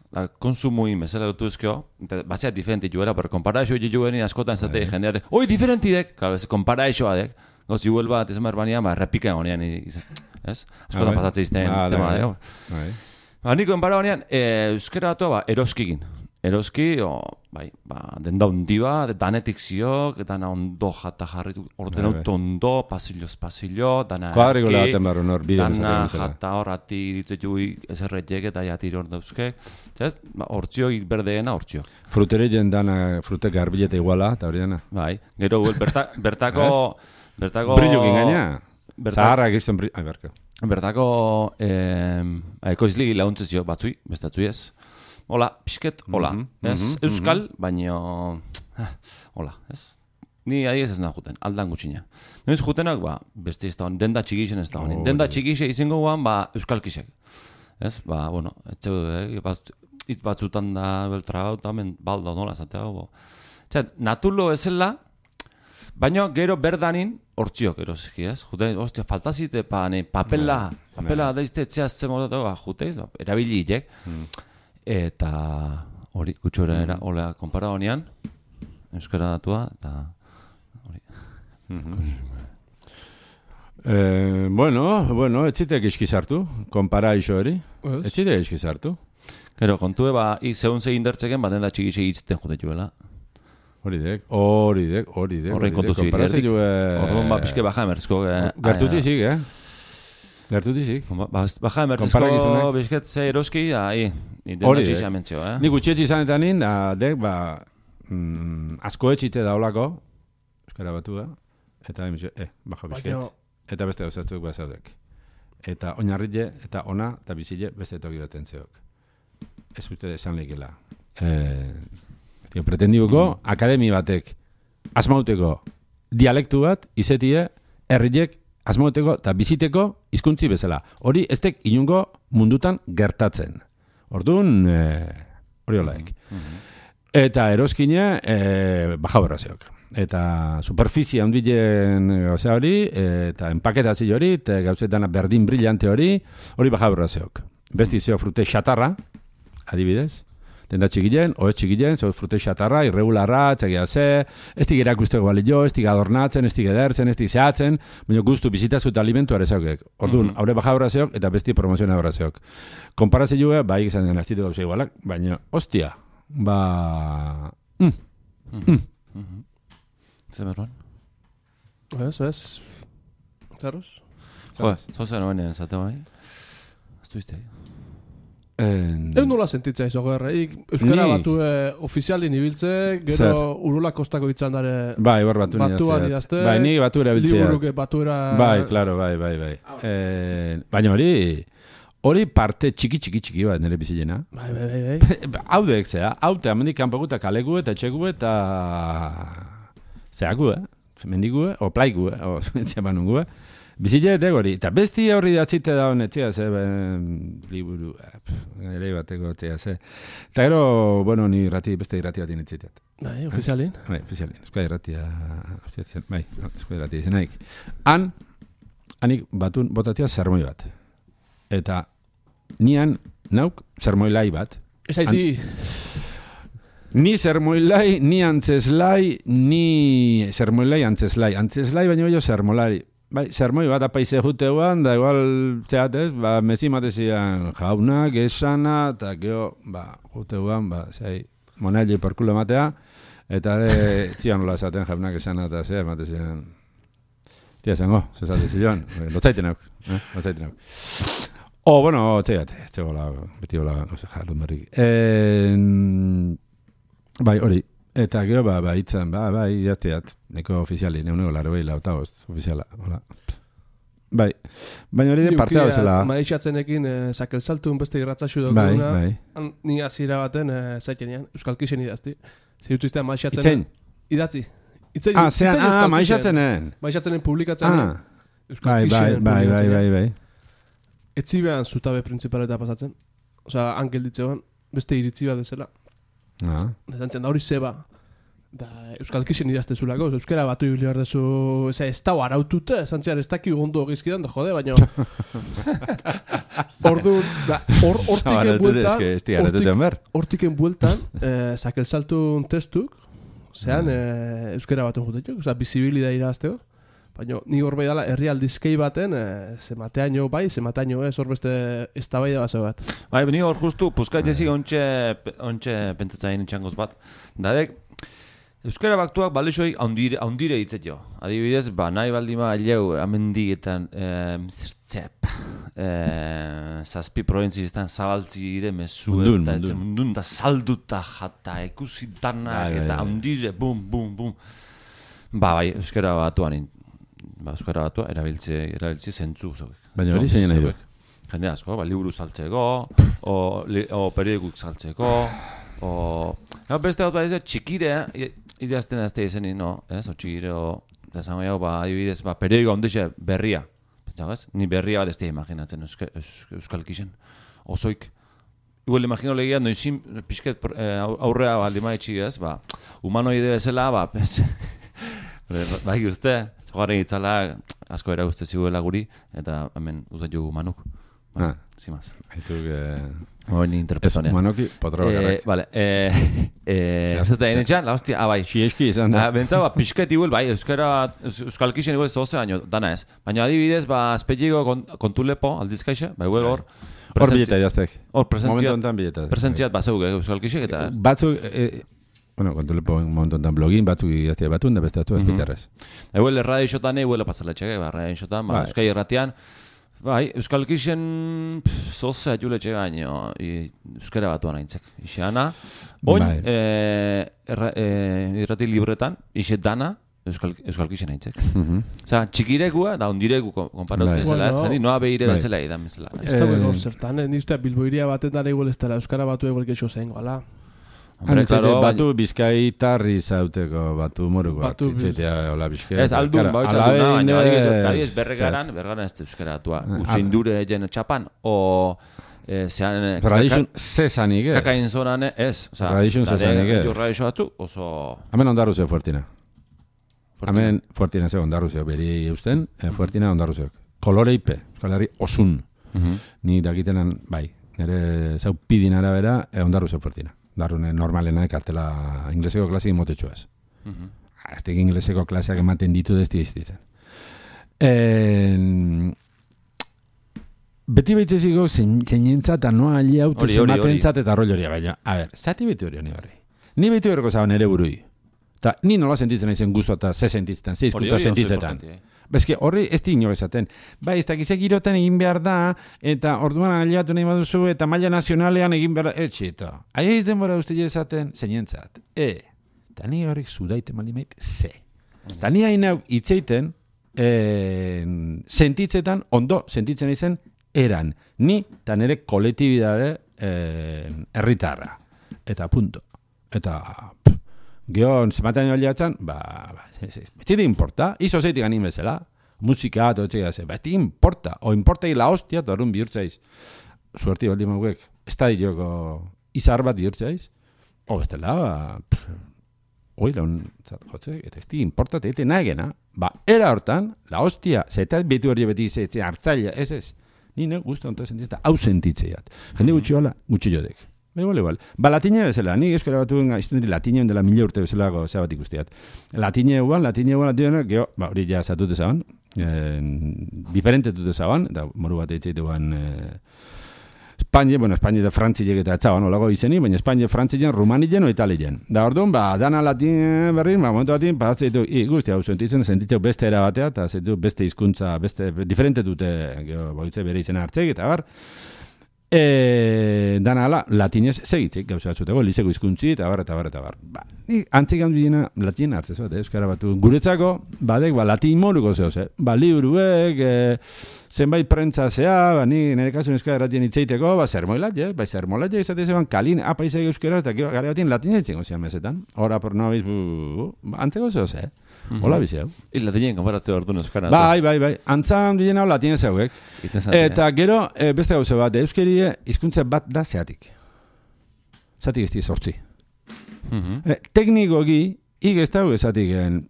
da, konsumuin bezala dutu ezkio, batzea diferenti juera, pero konparaixo juenin askotan zate jendeate, oi, diferentidek, claro, ez, konparaixoa dek, goz, iguel bat, ez emarbanean, ba, repikan honean, ez? Askotan pasatzea izten tema, dek. Ba, niko konparabanean, eh, euskara batua, ba, eroskigin. Eroski, o, bai, ba, denda hundi bat, danetik ziok, dana ondo jata jarritu, orden auto ondo, pasilloz pasillo, dana eki, dana jata horrati iritzetu ezerretek eta jatiri hor dauzke, ba, hortziok berdeena hortziok. Fruteri jendana, frutek garbileta iguala, eta hori dena. Bai, gero, berta, bertako... bertako brillukin gaina, zaharra egizten brillu, ai, berko. Bertako, eh, ekoizli launtzezio batzui, bestatzui ez. Hola, pixket, hola, mm -hmm, ez, mm -hmm, euskal, mm -hmm. baino, hola, ez, ni ahi ez ez nahi juten, aldan gutxina. Noiz jutenak, ba, beste ez da honi, denda txikixen ez da honi, oh, denda txikixe izango guan, ba, euskalkixek, ez, ba, bueno, etxe, eh, hitz batzutan da beltra hau, eta hemen balda nola, zatea, bo. Txat, natulo ezela, baino gero berdanin, hortziok, erosiki, ez, juten, ostia, faltazite, pa, ne, papela, papela daizte etxeaz zemotatu, ba, juteiz, ba, erabiliek, eta hori gutxora era hola konpara honean euskara datua eta hori eh, bueno, bueno, etzitek iskizartu konpara iso hori etzitek iskizartu gero, kontue ba, zeun ze indertzeken baten da txikixe hitzten jute juela hori dek, hori dek, hori dek horrein kontu zilerdik horrein ba, pixke baja emerzko gertutizik, eh gertutizik baja emerzko bizket ze eroski ahi hori, eh? Nik utxetxe izan eta nin, da, dek, ba, mm, asko etxite daulako, euskara batu da, eta, eh, baja bizket, eta beste gauzatzuk bazaudek. Eta oinarrile, eta ona, eta bizile, beste toki baten zeok. Ez uste esan lehikela. Eh, Tio, pretendibuko, mm. akademi batek, asmauteko dialektu bat, izetie, herriek, asmauteko eta biziteko hizkuntzi bezala. Hori ez tek inungo mundutan gertatzen. Orduan, hori holaik. Eta eroskine, e, baja berraziok. Eta superfizia handilen gauza hori, eta empaketazio hori, eta gauzetana berdin brillante hori, hori baja berraziok. Besti zeo frute xatarra, adibidez, tenda txikilen, oez txikilen, zeo frute xatarra, irregularra, txagia ze, ez tig erakusteko balio, ez tig adornatzen, ez tig edertzen, ez tig zehatzen, baina guztu bizitazu eta alimentu arezaukek. Orduan, haure baja berraziok, eta besti promoziona berraziok. Konparazioa, bai, izan den aztitu gauza igualak, baina, ostia, ba... Mm. Mm. Mm. Zer berroan? Ez, ez. Zaroz? Jo, zozen honen zate bai? Aztu izte? Ez nola sentitza izo gerra. Euskara Ni. batu ofizialin ibiltze, gero Zer? Urula Kostako itzan dare Bai, bar batu batuan idazte. Bai, ni batu erabiltzea. Liburuke batura... Bai, claro, bai, bai, bai. Eh, baina hori, hori parte txiki txiki txiki bat nire bizilena. Bai, bai, bai, bai. Haude ekzea, haute amendik kanpagu eta kalegu eta etxegu eta... Zeagu, eh? Mendigu, o plaigu, eh? O zuentzia banungu, eh? Bizile hori, eta besti hori datzite da honetzia, ze, liburu, ere bateko etzia, ze. Eta gero, bueno, ni irrati, beste irrati bat inetziteat. Bai, ofizialin? Bai, ofizialin, euskal irratia, bai, euskal irratia izenaik. Han, hanik batun botatzea zermoi bat. Eta nian, nauk, zermoi lai bat. Ez aizi... Ni zermoilai, ni antzeslai, ni zermoilai, antzeslai. Antzeslai baino jo zermolari. Bai, zermoi bat apaize juteuan, da igual, txeatez, ba, mezi matezian jaunak, esana, eta geho, ba, juteuan, ba, zei, monelli porkulo matea, eta de, txian nola esaten jaunak esana, eta zei, matezian, tia zengo, zezate ziloan, lotzaiten auk, eh, lotzaiten auk. O, bueno, txeat, txegola, beti gola, ose, jarrun berrik. Eh, Bai, hori, eta gero, ba, ba, itzan, ba, bai, jazteat, neko ofiziali, neunego laro behi lautagoz, ofiziala, hola. Bai, baina hori de partea bezala. Maixatzenekin, eh, sakel saltun beste irratzaxu dugu. Bai, bai. Ni azira baten, eh, zaitenean, Euskal Kixen idazti. Zirutziztea maixatzen. Itzein? Idatzi. Itzein, ah, zean, ah, maixatzenen. Maixatzenen publikatzen. Ah, bai, bai, bai, bai, bai, bai. Etzi behan zutabe principaleta pasatzen. Osa, ankel ditzean, beste iritzi bat dezela. Ah. Zantzen da hori zeba. Da, Euskal Kixen idaztezulako, euskara batu ibili behar dezu, eza, ez dau arautute, zantzean ez daki gondo egizkidan, da jode, baina... Ordu, da, hor, hortiken bueltan, hortiken bueltan, zakel saltun testuk, zean, euskara batu jutetuk, oza, bizibilida irazteo, baina ni hor bai dala, herri aldizkei baten, zemataino bai, zemataino ez, hor beste ez da bai da base bat. Bai, ni hor justu, puskat jezi ontxe pentsatzain txangoz bat, dadek, euskara baktuak balexoik haundire hitzet jo. Adibidez, ba, nahi baldima aileu amendietan zertzep, zazpi provintzietan zabaltzi ire mesu eta mundun da salduta jata, ekusi danak eta haundire, bum, bum, bum. Ba, bai, euskara batuan ba, euskara batua erabiltze, erabiltze zentzu. Baina hori zein nahi duek? Jende asko, ba, liburu saltzeko, o, li, o periodikuk saltzeko, o... No, beste bat bat ez, txikire, ideazten azte izeni, no, ez, o txikire, o... Da zango jau, ba, adibidez, ba, periodiko ondixe berria. Pentsago ez? Ni berria bat ez da imaginatzen euske, euske, Euskal Kixen. Osoik. Igual imagino legia, noizin, pixket aurrea baldi maitxik ez, ba, humanoide bezala, ba, pez... Bai uste, zogarren itzala asko era uste ziguela guri, eta hemen uzat jugu manuk. Bueno, ah, zimaz. Haituk... Eh... Hori interpretonean. Ez manuki potro garrak. Eh, vale, eh... eh Zeta enetxan, la hostia, ah, bai. Xieski izan da. Bentsa, ba, pixket igual, bai, euskara, Euskal Kixen igual zoze baino, dana ez. Baina adibidez, ba, azpetxiko kontulepo, aldizkaixe, ba, igual hor... Hor bileta idaztek. Hor presentziat. Momentu ontan bileta. Presentziat, ba, zeuk, Euskal Kixek, eta... Batzuk... Bueno, kontulepo momentu ontan blogin, batzuk idaztea batun, da beste batu azpiterrez. Eguel, erradio isotan, eguel, pasaletxek, ba, erradio isotan, ba, Euskal Irratian... Bai, Euskal Kixen zoze atxuletxe gaino euskara batuan aintzek. Ixeana, oin, bai. e, erra, e, irrati libretan, ixe dana Euskal, Euskal Kixen aintzek. Mm-hmm. Osa, txikirekua, da ondireku konparatu bai. Ezela, ez, jandi, noa behire bai. Bezala edan bezala. Ez da bego zertan, ez niztea Bilboiria baten dara igual ez dara, euskara batu egual gexo zein goala. Hombre, claro, batu bizkaitarri zauteko, batu moruko batu atitzetea, hola bizkaita. Ez, aldun, bau txaldun, baina adibidez berregaran, berregaran ez da euskara atua. Usein dure jen txapan, o... Zean... Tradizun zezanik ez. Kakain zonan ez. Tradizun zezanik ez. Tradizun atzu, oso... Hemen ondarru zeu fuertina. Hemen fuertina zeu ondarru zeu, beri eusten, fuertina ondarru zeu. Kolore ipe, Euskal Herri osun. Ni dakitenan, bai, nire zau pidin arabera, ondarru zeu fuertina. Darrune normalena kartela ingleseko klasik motetxo ez. Uh-huh. Azte ingleseko klaseak ematen ditu dezti iztitzen. En... Beti behitzeziko zeinentzat anoa ali haute zematentzat eta rol horia baina. A ber, zati beti hori honi horri. Ni beti horreko zaban ere burui. Ta, ni nola sentitzen aizen guztu eta ze sentitzen, ze izkuntza sentitzetan. Bezke, horri ez di ino esaten. Bai, ez dakizek girotan egin behar da, eta orduan aliatu nahi baduzu, eta maila nazionalean egin behar da, etxito. Aia izden bora uste esaten, zeinentzat. E, eta ni horrek zudaite malimait, ze. Eta ni hain hau itzeiten, e, sentitzetan, ondo sentitzen izen, eran. Ni, eta nire kolektibidade herritarra. Eta punto. Eta... Gio, zematen aliatzen, ba, ba, ez zide importa, izo zeitik ganin bezala, musika, toetxek da ze, ba, ez zide importa, o importa la hostia, torun bihurtzaiz, suerti baldi mauek, ez da dioko izar bat bihurtzaiz, o bestela, ba, oi, laun, jotzek, eta ez zide importa, eta nagena, ba, era hortan, la hostia, zeta betu hori beti zeitzen hartzaila, ez ez, nire guztu onto sentitzen, hau sentitzeiat, jende gutxi hola, gutxi jodek. Igual, igual. Ba, latina bezala, nik euskara batuen iztundiri latina dela mila urte bezalago zea bat ikustiat. Latina eguan, latina eguan, latina eguan, geho, ba, hori ja zatute zaban, eh, diferente dute zaban, eta moru bat eitzeit eguan eh, Espainia, bueno, Espainia eta Frantzilek eta etzaban, olago izeni, baina Espainia, Frantzilek, Rumanien o Italien. Da, orduan, ba, dana latin berrin, ba, momentu batin, ba, zeitu, ikusti, hau sentitzen, sentitzeu beste era batea, eta zeitu beste hizkuntza, beste, diferente dute, geho, boitze bere izena hartzek, eta bar, E, dana ala, latinez segitzik, gauza batzuteko, liseko hizkuntzi eta bar, eta bar, eta bar. Ba, ni antzik handu dina latin hartzez bat, eh, euskara batu. Guretzako, badek, ba, latin moruko zehoz, eh? Ba, liburuek, eh, zenbait prentza zea, ba, ni nire kasun euskara erratien itzeiteko, ba, zermoilat, eh? Ba, zermoilat, eh, izate zeban, kalin, apaizek euskara, eta gare batien latin eitzen gozian mesetan. Hora, por no habeiz, bu, ba, antzeko zehoz, eh? Hola bizi hau. I latinien konparatzea ordu euskara. Bai, bai, bai. Antzan dien hau latinez hauek. Eta gero, e, beste gauza bat, euskerie hizkuntza bat da zeatik. Zatik ez di sortzi. Uh-huh. E, teknikoki, hik ez dago ezatik gen,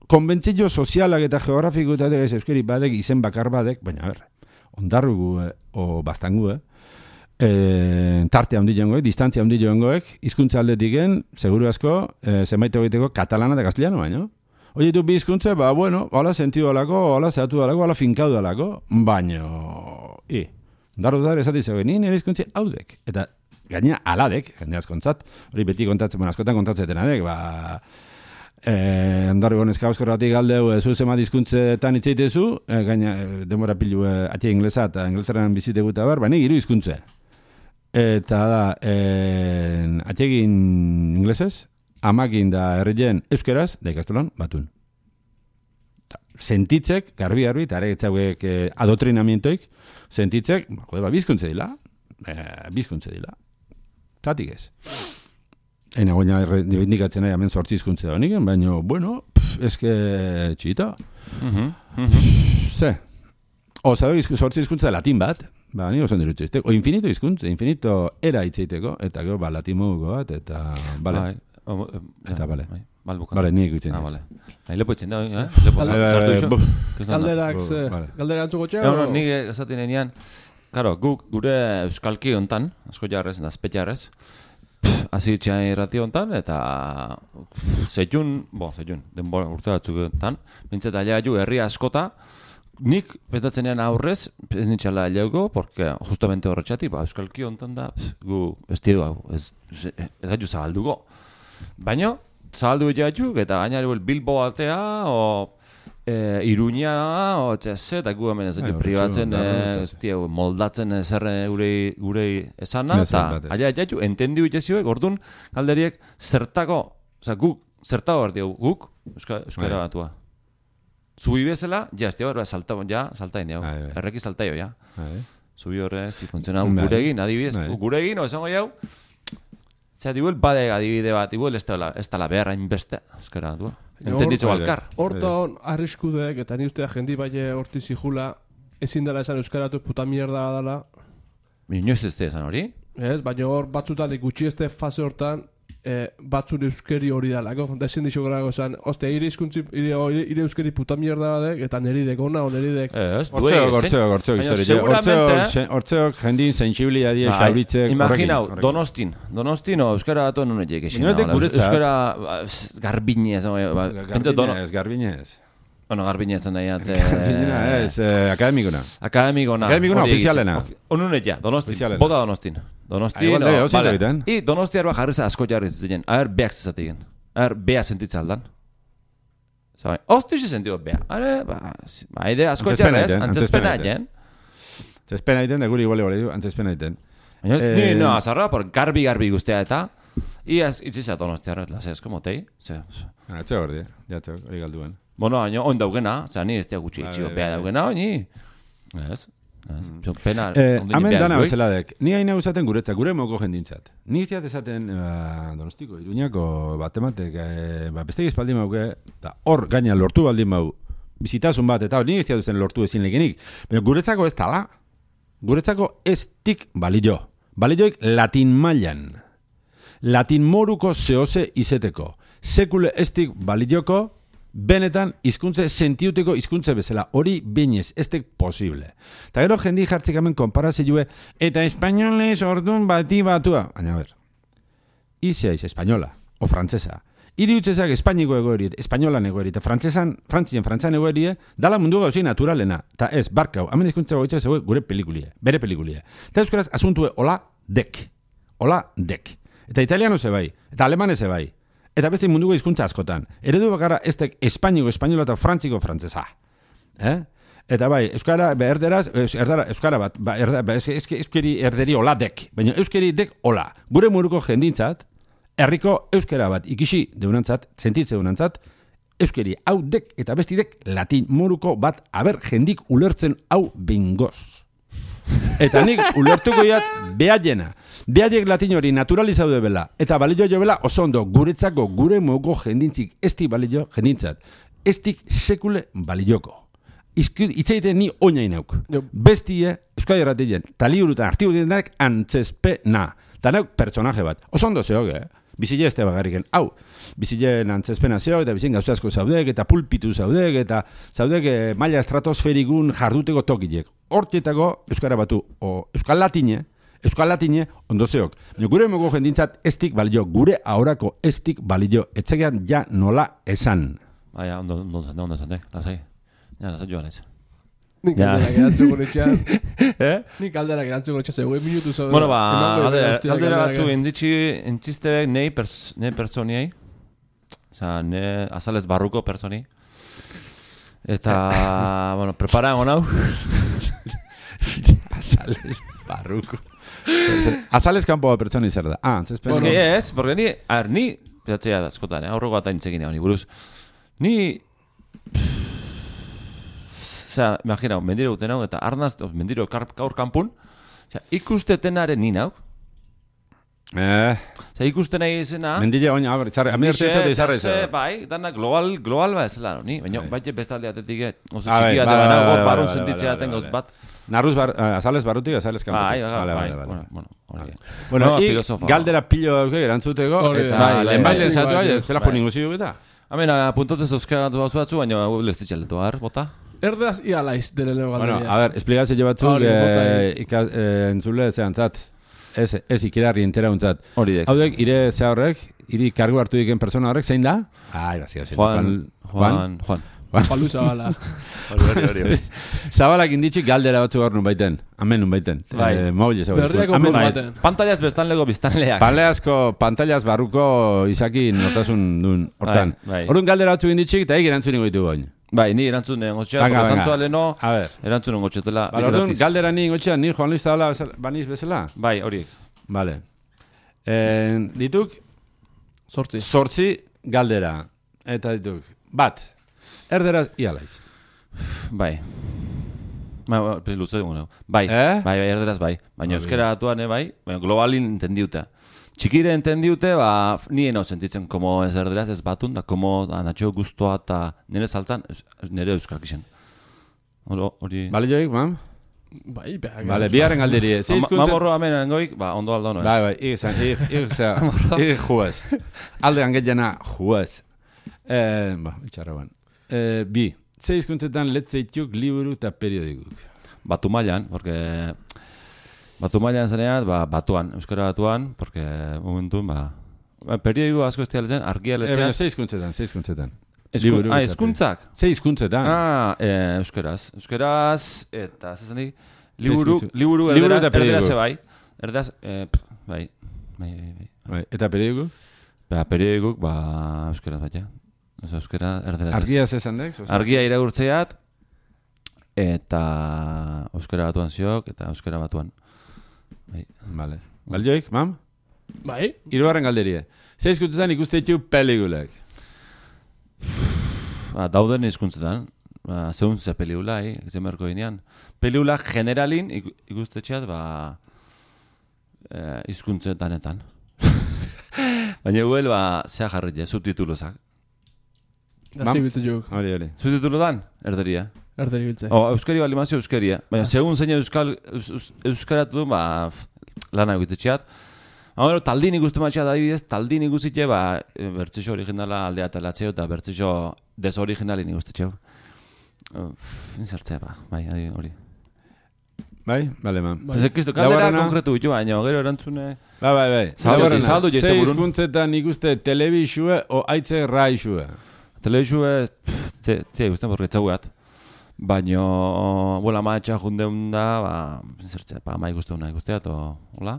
konbentzio sozialak eta geografiko eta ez euskeri badek, izen bakar badek, baina ber, ondarrugu e, o bastangu, eh? E, tarte handi joangoek, distantzia handi joangoek, hizkuntza aldetik gen, seguru asko, e, zenbait egiteko katalana eta gazteliano baino. Oye, tu bizkuntze, ba, bueno, hola sentido alako, hola zehatu alako, hola finkaudu alako, baino, i, darro da esati zegoen, nire izkuntze haudek, eta gaina aladek, jende askontzat, hori beti kontatzen, bueno, askotan kontatzeten adek, ba, eh, andarri gonezka euskorratik galdeu, zu zema dizkuntzetan itzeitezu, eh, gaina, demora pilu, eh, atia inglesa, eta inglesaran bizite guta bar, ba, nik hiru hizkuntze. Eta da, eh, atiegin inglesez, amakin da herrien euskeraz, da ikastolan, batun. Sentitzek, garbi-garbi, eta ere etzauek eh, adoktrinamientoik, sentitzek, ba, jode, ba, bizkuntze dila, eh, bizkuntze dila. Tatik ez. Eina goina indikatzen nahi, hemen sortzizkuntze da honik, baina, bueno, pff, eske txita. Uh-huh. Uh-huh. Ze. O, zabe, sortzizkuntza latin bat, ba, nire oso dirutze izteko. O, infinito izkuntze, infinito era itzeiteko, eta gero, ba, latin moduko bat, eta, bale. Bai. Oh, eh, eta, bale. Bai. Balbukan. Bale, nire ikutzen. Ah, bale. Nahi lepo itzen da, eh? Lepo sartu iso. Galderak, galdera antzuko txea? No, no, nire esaten enean, karo, guk gure euskalki hontan, asko jarrez, eta azpetxarrez, hasi txean irrati hontan, eta zeiun, bo, zeiun, denbora urte batzuk hontan, bintzeta aileagaiu herri askota, nik pentatzenean aurrez, ez nintxala aileago, porque justamente horretxatik, ba, euskalki hontan da, gu, ez tio, ez, ez gaitu zabalduko. Baina, zabaldu egiteatuk, eta gainari Bilbo altea, o e, Iruña, o txese, eta gu hemen ez dut pribatzen, ez dio, moldatzen zerre gure, gure esana, eta aia egiteatuk, entendi egiteazioek, orduan, galderiek, zertako, oza, guk, zertako behar diogu, guk, euskara batua. Zubi bezala, ja, ez dio, salta, ja, saltain diogu, erreki saltaio, ja. Zubi horre, ez di funtzionau, guregin, adibidez, guregin, o esango jau, zera, dibuel, badek adibide bat, dibuel, ez tala beharra inbeste, ezkera, du. Entenditzo balkar. Horta hon, arriskudek, eta ni ustea jendi baile horti zijula, ezin dela esan euskaratu puta mierda dala. Inoiz ez esan hori? Ez, baina hor batzutan gutxi este fase hortan, e, batzun euskeri hori dalako. Da ezin dixo gara gozan, ostia, ire izkuntzi, ire, ire euskeri puta mierda badek, eta neridek ona, o neridek. Ez, duei, hortzeok, hortzeok, hortzeok, historia. Hortzeok, jendin sensibilia die, xauritzek. Imaginau, donostin, donostin, o euskara batu non egek esin. Euskara garbinez. Garbinez, garbinez. Bueno, garbinez nahi at... Ez, akademikona. Akademikona. Akademikona, ofizialena. Onunet ja, donostin, bota donostin. Donostin, vale. I donosti arba jarriza asko jarriz zinen. A ver, beak zezatigen. A ver, bea sentitza aldan. Zabai, hosti xe sentidu bea. Are, ba, haide asko jarriz, antzespena egen. Antzespena iten, da guri igual igual, antzespena iten. Ni, no, azarra, por garbi-garbi guztia eta, iaz, itziza donosti arra, lase, esko motei. Atxe gordi, jatxe, hori galduen. Bueno, haino, oin daugena, zera, ni ez tia gutxi etxio bea daugena, ni. Ez, pena... Hemen dana bezeladek, ni haina usaten guretzak, gure moko jendintzat. Ni iztiat esaten Donostiko, Iruñako batematek, beste espaldi mauke, eta hor gaina lortu baldin mau, bizitasun bat, eta ni iztiat usten lortu ezin legenik. Baina guretzako ez tala, guretzako ez tik balio. Balioik latin mailan. Latin moruko zehose izeteko. Sekule ez tik balioko, benetan hizkuntze sentiuteko hizkuntze bezala, hori binez, ez tek posible. Eta gero jendi jartzik hemen konparazioe, eta espainolez ordun bati batua. Baina, ber, izeaiz espainola, o frantzesa. Iri utzezak espainiko egoeri, espainolan egoeri, eta frantzesan, frantzien, frantzan egoeri, dala mundu gauzei naturalena. Eta ez, barkau, hemen hizkuntza goitza zegoe gure pelikulie, bere pelikulie. Eta euskaraz asuntue hola dek, hola dek. Eta italiano ze bai, eta alemane ze bai. Eta beste munduko hizkuntza askotan. Eredu bakarra ez tek espainiko, espainola eta frantziko frantzesa. Eh? Eta bai, euskara, be, erderaz, erdara, euskara bat, ba, erda, ba, euskeri erderi hola dek, baina euskeri dek hola. Gure muruko jendintzat, herriko euskara bat ikisi deunantzat, sentitze deunantzat, euskeri hau dek eta besti dek latin muruko bat aber jendik ulertzen hau bingoz. Eta nik ulertuko jat behaiena. Behaiek latin hori naturalizaude bela. Eta balio jo bela oso ondo guretzako gure muguko jendintzik esti balio jendintzat. Estik sekule balioko. Itzeiten ni oinain nauk. Bestie, euskadi erratien, taliurutan artigutenak antzespena. Eta nauk pertsonaje bat. Oso ondo zehoge, eh? Bizile ez bagarriken, hau, bizileen antzespena zeok, eta bizien gauza asko zaudek, eta pulpitu zaudek, eta zaudek eh, maila estratosferikun jarduteko tokilek. Hortietako euskara batu, o euskal latine, euskal latine, ondo zeok. Gure mogo jendintzat estik balio, gure ahorako estik balio, etzegean ja nola esan. Baina, ondo, ondo, ondo, ondo, ondo, lasai. Ja, lasai joan ez. Nik alderak erantzuko netxean. Eh? Nik alderak erantzuko netxean, zegoen minutu zaudera. Bueno, ba, aldera batzu inditxi entzistebek nei pertsoniei. Osa, ne azalez barruko pertsoni. Eta, bueno, prepara egon hau. Azalez barruko. Azalez kanpo pertsoni zer da. Ah, antzespen. Es que ez, porque ni, a ver, ni, pedatzea da, eskotan, aurroko bat aintzekin egon, buruz. Ni... Osea, imagina, mendiro guten hau, eta arnaz, mendiro gaur kanpun, osea, ikustetenaren ni nau. Eh. Osea, ikusten nahi izena... Mendile oina, abar, itzarre, amirte etxate izarre izan. Bai, dana global, global ba ez laro, ni, baina, baite bestalde atetik, oso txiki bat eban hau, barun sentitzea aten gauz bat. Narruz, azales barrutik, azales kanpotik. Bai, bai, bai, bueno, hori. Bueno, ik galdera pilo dauke, erantzuteko, eta lehenbailen zatu, zela jo ningu zidu eta. Hemen, puntotez euskagatu hau zuatzu, baina lestitxaletu har, bota. Erderaz ialaiz dele leo galderia. Bueno, a ver, esplikazio batzuk entzule zehantzat. Ez, ez ikirarri entera untzat. Hori dek. Haudek, ire ze horrek, iri kargu hartu diken persona horrek, zein da? Ai, bazia, zein. Juan, Juan, Juan. Palu Zabala. Hori, hori, hori. Zabalak inditxik galdera batzuk hor nun baiten. Amen nun baiten. Bai. Maule zabalak. Berriako nun baiten. Pantallaz bestanlego biztanleak. Panleazko, pantallaz barruko izaki notasun duen hortan. Horun galdera batzuk inditxik, eta egin erantzun ingo ditu goin. Bai, ni erantzun engotxea, porque zantzua leheno, erantzun engotxetela. Bale, orduan, galdera ni engotxea, ni Juan Luis Zabala baniz bezala? Bai, horiek. Bale. Dituk? Zortzi. Zortzi galdera. Eta dituk, bat. Erderaz ialaiz. Bai. Bai, luze dugu. Bai, eh? bai, bai, erderaz bai. Baina euskera atuan, bai, baina globalin entendiuta. Txikire entendiute, ba, nien hau sentitzen komo ez erderaz, ez batun, da komo natxo guztua eta nire saltzan, nire euskak izan. Hori... Bale joik, mam? Bai, behar. Bale, biharren galderi. Mamorro amen engoik, ba, ondo aldo no ez. Bai, bai, igizan, igizan, igizan, juez. Alde gangetjana, juez. Ba, itxarra ban. Bi, ze hizkuntzetan letzeituk, liburu eta periodikuk. Batu mailan, porque... Batu mailan zanean, ba, batuan, euskara batuan, porque momentun, ba... Periodiku asko ez dialetzen, argia letzean... Ze hizkuntzetan, ze hizkuntzetan. Ah, hizkuntzak? Ze hizkuntzetan. Ah, euskeraz. Euskeraz, eta, zesan di, liburu, liburu erderaz bai. Erderaz, bai, bai, bai. Eta periodiku? Ba, periodikuk, ba, euskeraz bat, ja. Euskera, erderaz. Argia zezan dek? Argia irakurtzeat, eta euskara batuan ziok, eta euskara batuan. Bai. Vale. Balioik, mam? Bai. Hirugarren galderie. Ze hizkuntzetan ikuste ditu pelikulak? Ba, dauden hizkuntzetan. Ba, zehun ze pelikula, eh? Zemerko ginean. Pelikula generalin ikuste txat, ba... Eh, hizkuntzetanetan. Baina guel, ba, zea jarritze, subtitulozak. Da zibiltze juk. Hori, hori. Subtitulodan, erderia. Erderi biltze. O, euskari bali mazio euskaria. Baina, segun zein euskal, euskaratu du, ba, lana egite txat. Hau, taldin ikusten matxat adibidez, taldin ikustitxe, ba, bertzixo originala aldea talatzeo, eta bertzixo desoriginali nik uste txeu. Inzertzea, ba, bai, hori. Bai, bale, man. Ez ekistu, kaldera konkretu bitu baino, gero erantzune... Bai, bai, bai. Zaldu, zaldu jeizte burun. Ze hizkuntzetan ikuste telebixue o aitze raixue? Telebixue, te guztien borre txaugat. Baina, bola maatxa jundeun da, ba, zertzea, pa, ma ikusteuna ikustea, to, hola.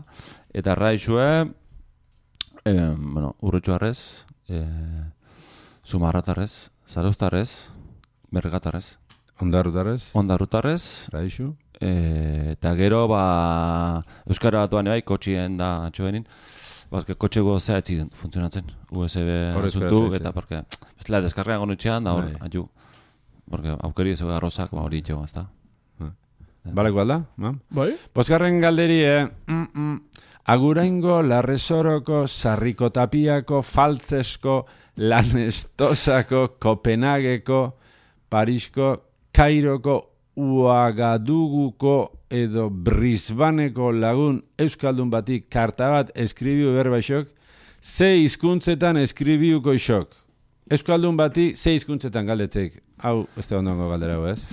Eta raixue, eh, bueno, urretxuarrez, eh, zumarratarrez, zaraustarrez, mergatarrez. Ondarutarrez. Ondarutarrez. Raixu. E, eta gero, ba, Euskara batuan ebai, kotxien da atxoenin, bazke kotxe gozea etzi funtzionatzen, U S B asuntu, eta porque, bestela, deskarrean gonutxean, da hor, atxu, porque aukeri ez arrozak, ba, hori itxego, ezta. Baleko alda, ma? Bai? Bosgarren galderi, eh? Mm -mm. Aguraingo, Larresoroko, Sarrikotapiako, Faltzesko, Lanestosako, Kopenhageko, Parisko, Kairoko, Uagaduguko edo Brisbaneko lagun euskaldun batik karta bat eskribiu berbaixok, ze hizkuntzetan eskribiuko isok. Euskaldun bati ze hizkuntzetan galdetzek. Hau, ez da ondongo galdera hau, ez?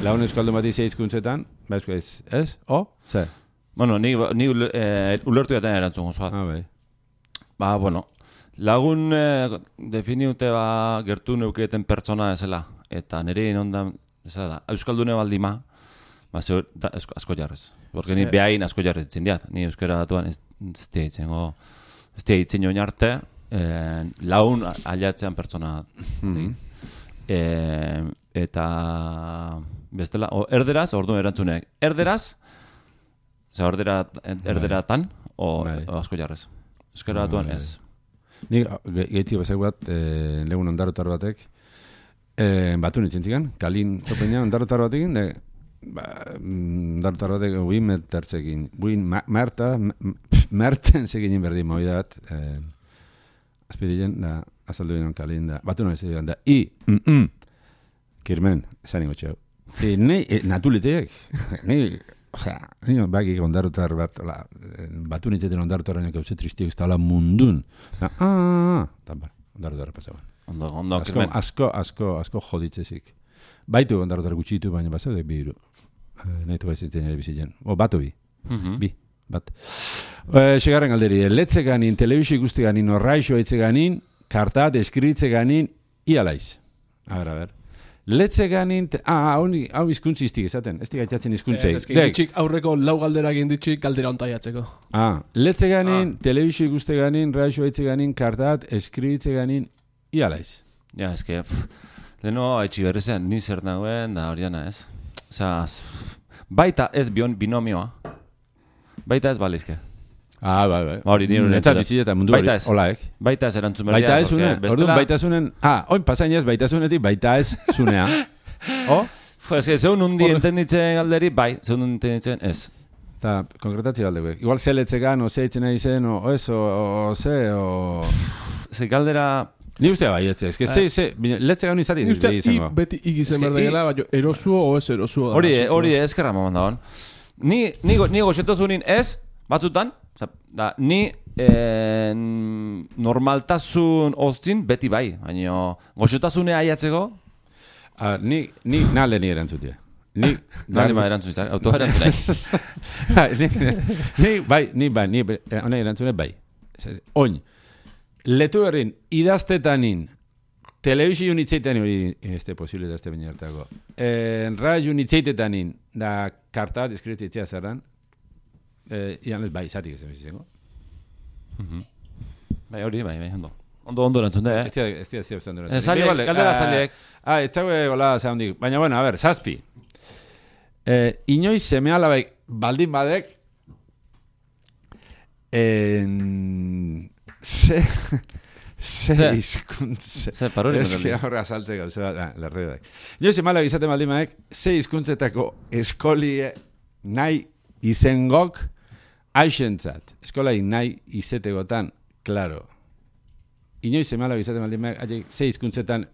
Lagun euskaldun bati ze hizkuntzetan, ba ez, ez? O? Ze? Bueno, ni, ni eh, ulertu jaten erantzun gozoat. Ah, bai. Ba, bueno, lagun eh, definiute ba gertu neuketen pertsona ezela. Eta nire inondan, ez da, euskaldune baldima, ba, zeur, da, esko, asko jarrez. Porque ni behain asko jarrez itzen diat. Ni euskara datuan ez tia itzen go, ez tia itzen joan arte, eh, laun aliatzean pertsona. Mm-hmm. eh, eta, bestela, o, erderaz, ordu erantzuneak. Erderaz, Oza, erdera, erderatan, o, o asko jarrez. Euskara datuan ez. Nik, gehitzik bezak bat, eh, legun ondarotar batek, eh, batu nintzen zikan, kalin topenean ondarotar batekin, de, ba, ondarotar batek buin metertzekin, buin merta, merten zegin berdin moida bat, eh, azpidilen, da, azaldu binen kalin, da, batu nintzen da, i, mm, mm, kirmen, esan ingo txau. E, ne, e, natulitzeak, ne, osea, nio, bakik ondarotar bat, la, batu nintzeten ondarotarraino gauze tristiak ez da mundun. Ah, ah, ah, ondarotarra pasaban. Ondo, ondo, asko, asko, asko, asko joditzezik. Baitu ondarotar gutxitu, baina bazaudek bi iru. E, nahitu baizitzen ere bizitzen. O, batu bi. Mm-hmm. Bi, bat. E, segarren galderi, letze ganin, telebizio ikuste ganin, orraixo eitze ganin, karta, deskritze ganin, ialaiz. A ber, a ber. Letze ganin, ah, hau izkuntzi iztik esaten, ez digaitatzen izkuntzei. Ez ditxik aurreko lau galdera egin ditxik galdera ontaiatzeko. Ah, letze ganin, ah. Telebizio ikuste ganin, raixo eitze ganin, kartat, eskribitze ganin, ialaiz. Ja, ez que, leheno, haitxi berrezen, ni zer nagoen, da horiana ez. Osa, baita ez bion binomioa, baita ez balizke. Ah, bai, bai. Hori, nire netzat biziteta mundu hori, holaek. Baita ez erantzun berdia. Baita ez zune, orduan baita zunen, ah, oin pasainez baita zunetik, baita ez zunea. O? Ez que, zeun undi entenditzen galderi, bai, zeun undi entenditzen ez. Eta, konkretatzi galdeko. Igual ze letzegan, o ze itzen nahi zen, o ez, o ze, o... Ze galdera... Ni ustea bai, ez ez, que ze, ze, letzegan izati izango. Ni ustea, i beti igizen berdegela, baina erosuo o ez erosuo. Hori, hori ezkerra mamon dagoen. Ni, ni, ni goxetozunin ez, batzutan, da, ni eh, normaltasun oztin beti bai, baina goxotasune aiatzeko? Ah, ni, ni nale ni erantzutia. Ni, nale ba erantzuzak, auto erantzunak. Ni, bai, ni bai, ni hona erantzunek bai. Oin, letu errin, idaztetanin, telebizio unitzeitanin, hori este posible da este baina hartako, eh, radio unitzeitanin, da karta, deskritzea zerran, Eh, ian ez bai, zatik ezen bizizengo. Bai, hori, bai, bai, ondo. Ondo, ondo erantzun da, eh? Ez dira, ez dira, ez dira, ez dira. Zaliek, galdera zaliek. Ah, ez dago gola zaundik. Baina, bueno, a ver, zazpi. Eh, inoiz seme alabaik baldin badek, en... ze... ze izkuntze... Ze paruri. Ez que horre azaltze gauze bat, ah, lerde badek. Inoiz seme alabaik izaten baldin badek, ze izkuntzetako eskolie nahi izengok aixentzat. Eskolai nahi izetegotan, klaro. Inoiz semala bizaten baldin behar, ze hizkuntzetan,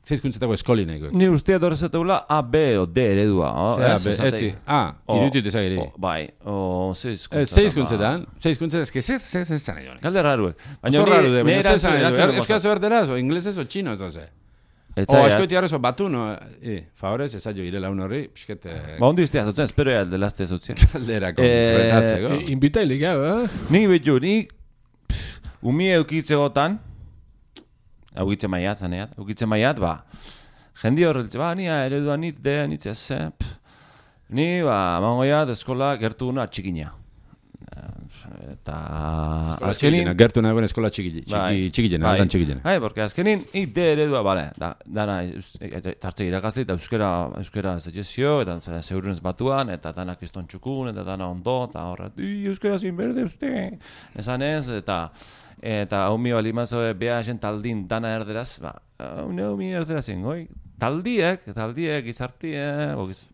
ze hizkuntzetako eskoli nahiko. Ni ustea dorrezateula A, B o D eredua. Ze A, B, ez zi. A, irutut ezagiri. Bai, o ze hizkuntzetan. Ze hizkuntzetan, ze hizkuntzetan, ez que ze, ze, ze zan egin. Galde raruek. Oso raru de, baina ze zan egin. Euskaz berderaz, o inglesez o chino, entonces. O, askoiti arrezo batu, no? E, favorez, ez aio irela un horri, pixkete... Ba, ondo iztea, zotzen, espero ya, delazte zotzen. Kalderako, retatzeko. Invitailik, eh? Ni betu, ni... Umi eukitze gotan, eukitze maiat, zaneat, eukitze maiat, ba... Jendi horreltze, ba, nia eredua nit, de, nitzea ze... Ni, ba, mangoiat, eskola gertu una txikina. Eta azkenin gertu nagoen eskola txikilena, aldan txikilena. Bai, porque azkenin ik de eredua, bale, da, dana tartze irakasli eta euskera, euskera zetxezio, eta zeurrenez batuan, eta dana kriston txukun, eta dana ondo, eta horret, euskera zin berde uste, esan ez, eta eta haumi bali mazo beha esen taldin dana erderaz, ba, haumi erderaz ingoi, taldiek, taldiek, gizartie,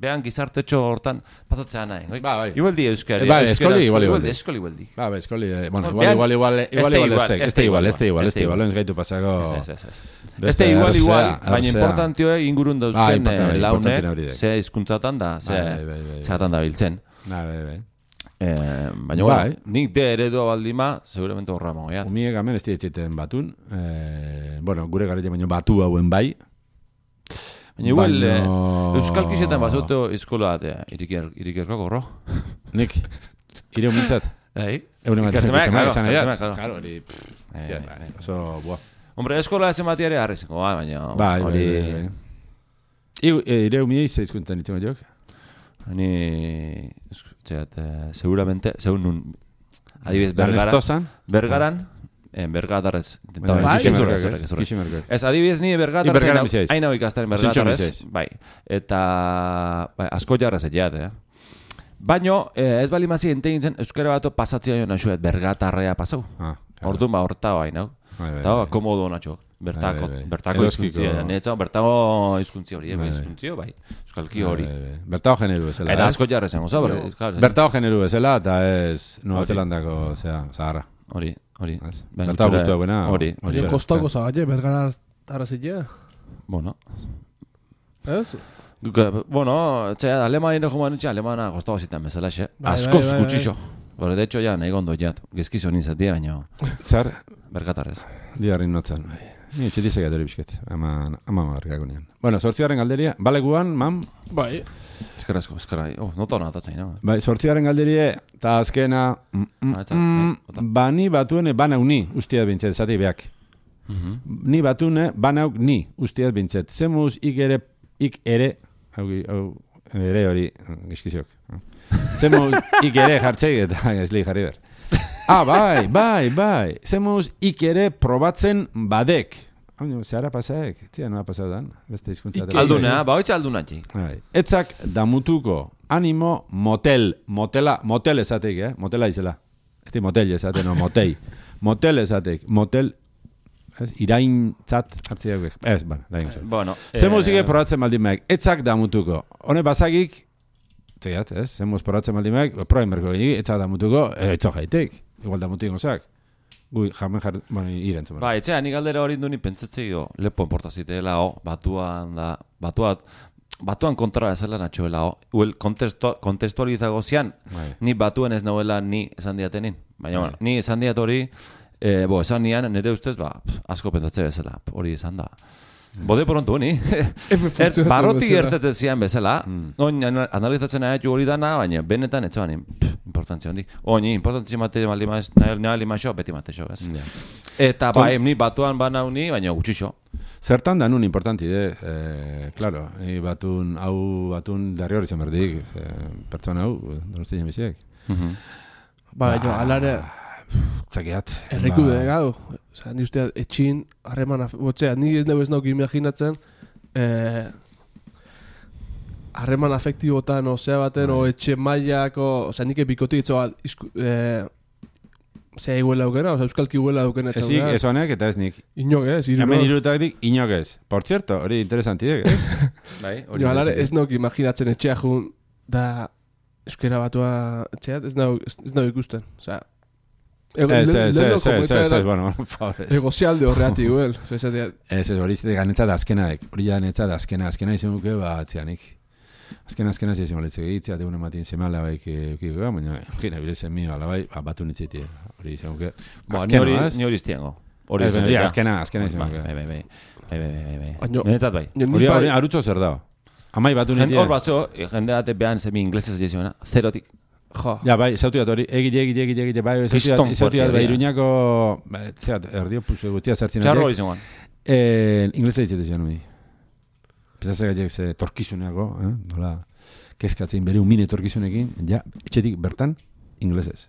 behan gizartetxo hortan pasatzea nahi. Ba, bai. Igualdi euskari. Ba, eskoli, igual, igual. Eskoli, igualdi. Ba, ba, eskoli, bueno, igual, igual, igual, igual, igual, este igual, este igual, este igual, ez gaitu pasako... Este igual, igual, baina importantioa ingurun dauzken launek, ze hizkuntzatan da, zeatan da biltzen. Ba, bai, bai. Baina, bueno, nik de eredua baldima, seguramente horra magoiat. Umiek amen ez dietxeten batun, bueno, gure garrila baino batu hauen bai, baina igual, euskal kisetan basoto eskola bat, irikerko gorro. Nik, ire humintzat. Ei? Eune bat izan edat. Claro, hori, oso, buah. Hombre, eskola ezen bati ere harrizeko, baina... Bai, bai, bai. Ire humiei ze izkuntan itzen bat jok? Ni, txeat, seguramente, segun nun, adibidez, Bergaran, Bergaran, en Bergatarrez, ez adibidez ni Bergatarez, hain hau ikastaren Bergatarez, bai, eta asko jarrez etxeat, eh? Baina, ez bali mazi entegin zen, euskara bato pasatzea jo nahuet, Bergatarrea pasau, orduan ba, horta bain, hau, eta komodo nahuet. Bertako izkuntzia, netza, bertako izkuntzia hori, izkuntzio, bai, euskalki hori. Bertako generu bezala. Eta asko jarra zen, oza, bertako generu bezala, eta ez Nueva Zelandako, zera, Zaharra. Hori, hori. Bertako guztua buena. Hori. Kostako zagaile, bergara arrazitea? Bueno. Ez? Bueno, txea, alemani nire joman nitxe, alemana kostako zitan bezala, xe. Askoz gutxixo. Bore, de hecho, ja, nahi gondo jat. Gezkizo nizatia, baina... Zer? Bergatarrez. Diarrin notzen, bai. Ni etxetizek atori bisket, ama markako nian. Bueno, sortziaren galderia, baleguan, mam? Bai. Eskerrazko, eskerra, oh, nota hona atatzain, no? Bai, sortziaren galderie, eta azkena, bani batuen bana uni, ustiat bintzet, zati beak. Ni batune, bana ni, ustiat bintzet. Zemuz, ik ere, ik ere, hau, ere hori, gizkiziok. Zemuz, ik ere jartzeik, eta ez li jarri ber. Ah, bai, bai, bai. Zemuz ik ere probatzen badek. Zehara pasaek, zia noa pasaudan, beste izkuntza. Aldunea, ba hoitza aldunatzi. Etzak damutuko, animo, motel, motela, motel esateik, eh? Motela izela. Ez di motel esate, no, motei. Motel esateik, motel, iraintzat hartziak. Ez, bueno, da ingo. Bueno. Zemuz ike probatzen baldin maek, etzak damutuko. Hone basagik, zegat, ez? Zemuz probatzen baldin maek, proain berko genik, etzak damutuko, etzo jaitek. Igual da mutu ingozak. Gui, jamen jar... Bueno, irentzen. Ba, etxea, nik aldera hori du ni pentsatzei lepo enportaziteela, o, batuan da... Batuat... Batuan kontra ezela natxoela, o. Uel, kontestualizago zian, ni batuen ez nahuela ni esan diatenin. Baina, bueno, ni esan diat hori, bo, esan nian, nire ustez, ba, asko pentsatze bezala, hori esan da. Bode porontu, ni. Barroti gertatzen zian bezala, oin analizatzen nahi hori dana, baina benetan etxoan importantzia hondi. Oini, importantzia mate nahi maixo, beti mate xo, ez. Eta ba, ni batuan bana honi, baina gutxixo. Zertan da nun importanti, de, claro, batun, hau batun darri hori zen berdik, pertsona hau, donosti jemiziek. Ba, jo, alare... Zakeat. Erreku de gau. Osa, ni usteat, etxin, harreman, botzea, ni ez nago ez nauk imaginatzen, harreman afektibotan, osea baten, o etxe mailako, osea, nik bikotik etxoa, zea iguela aukena, osea, euskalki iguela aukena etxoa. Ezik, ez honek, eta ez nik. Inok ez, irunok. Hemen irutatik, inok ez. Por cierto, hori interesantidek, ez? Bai, hori. Jo, alare, ez nauk imaginatzen etxea jun, da, euskera batua etxeat, ez nauk ikusten, osea, Ez, ez, ez, ez, ez, bueno, favores. Egozialde horreati, guel. Ez, ez, hori zite ganetzat azkenaek. Hori ganetzat azkena, azkena izan duke, ba, atzianik. Azkena, azkena zizien moletzek egitzea, tegune matien seme alabaik eukiko, baina, gina, bilezen mio alabai, batu nitzeiti, hori izan duke. Ba, ni hori iztiango. Hori izan. Azkena, azkena izan. Bai, bai, bai. Bai, bai, bai, bai. Benetzat bai. Hori hori arutzo zer da. Amai batu nitia. Hor batzo, jende bate behan zemi inglesez jesuena, zerotik. Jo. Ja, bai, zautu dat hori, egite, egite, egite, egite, bai, zautu dat, bai, iruñako, zeat, erdio puzu gutxia zertzen. Txarro izan guan. Inglesa ditzete zion, mi. Petazak gaitek ze torkizuneako, nola, kezkatzen bere umine torkizunekin, ja, etxetik bertan, inglesez.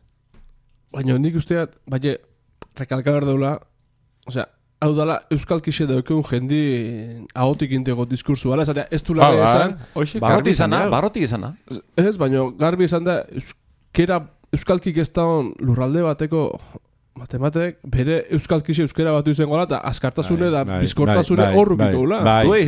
Baina nik usteat, baina, rekalka behar daula, osea, hau dala, euskal kixe daukeun jendi ahotik intego diskursu, bala, esatea, ez du laga esan... Barroti izana, barroti izana. Ez, baina garbi esan da, euskera, euskalkik ez daun lurralde bateko matematek, bere euskalkixe euskera batu izan gola, eta askartasune da bizkortasune horruk ito gula. Bai, bai,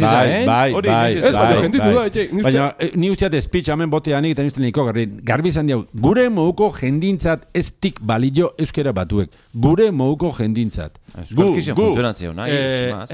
bai, bai, ez, baina jenditu da, etxe. Baina, ni usteat speech hamen boteanik, eta nizten niko garbi, garbi izan diau, gure moguko jendintzat ez tik balio euskera batuek. Gure moguko jendintzat. Euskalkixe funtzionatzeo, nahi.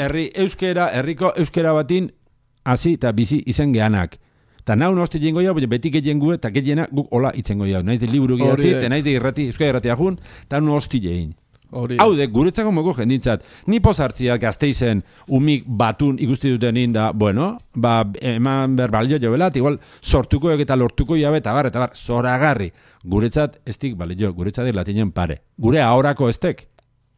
Herri euskera, herriko euskera batin, hasi eta bizi izan geanak. Eta nau nosti jengo jau, beti getien gu, eta getiena guk hola itzengo jau. Naiz de liburu gidatzi, eta naiz de irrati, euskara irrati ajun, eta nosti jein. Hau de, guretzako moko jendintzat, ni pozartziak gazteizen umik batun ikusti dutenin da, bueno, ba, eman berbalio jo belat, igual sortuko eta lortuko jabe, eta bar, eta bar, zoragarri. Guretzat ez dik, balio, guretzat latinen pare. Gure ahorako estek.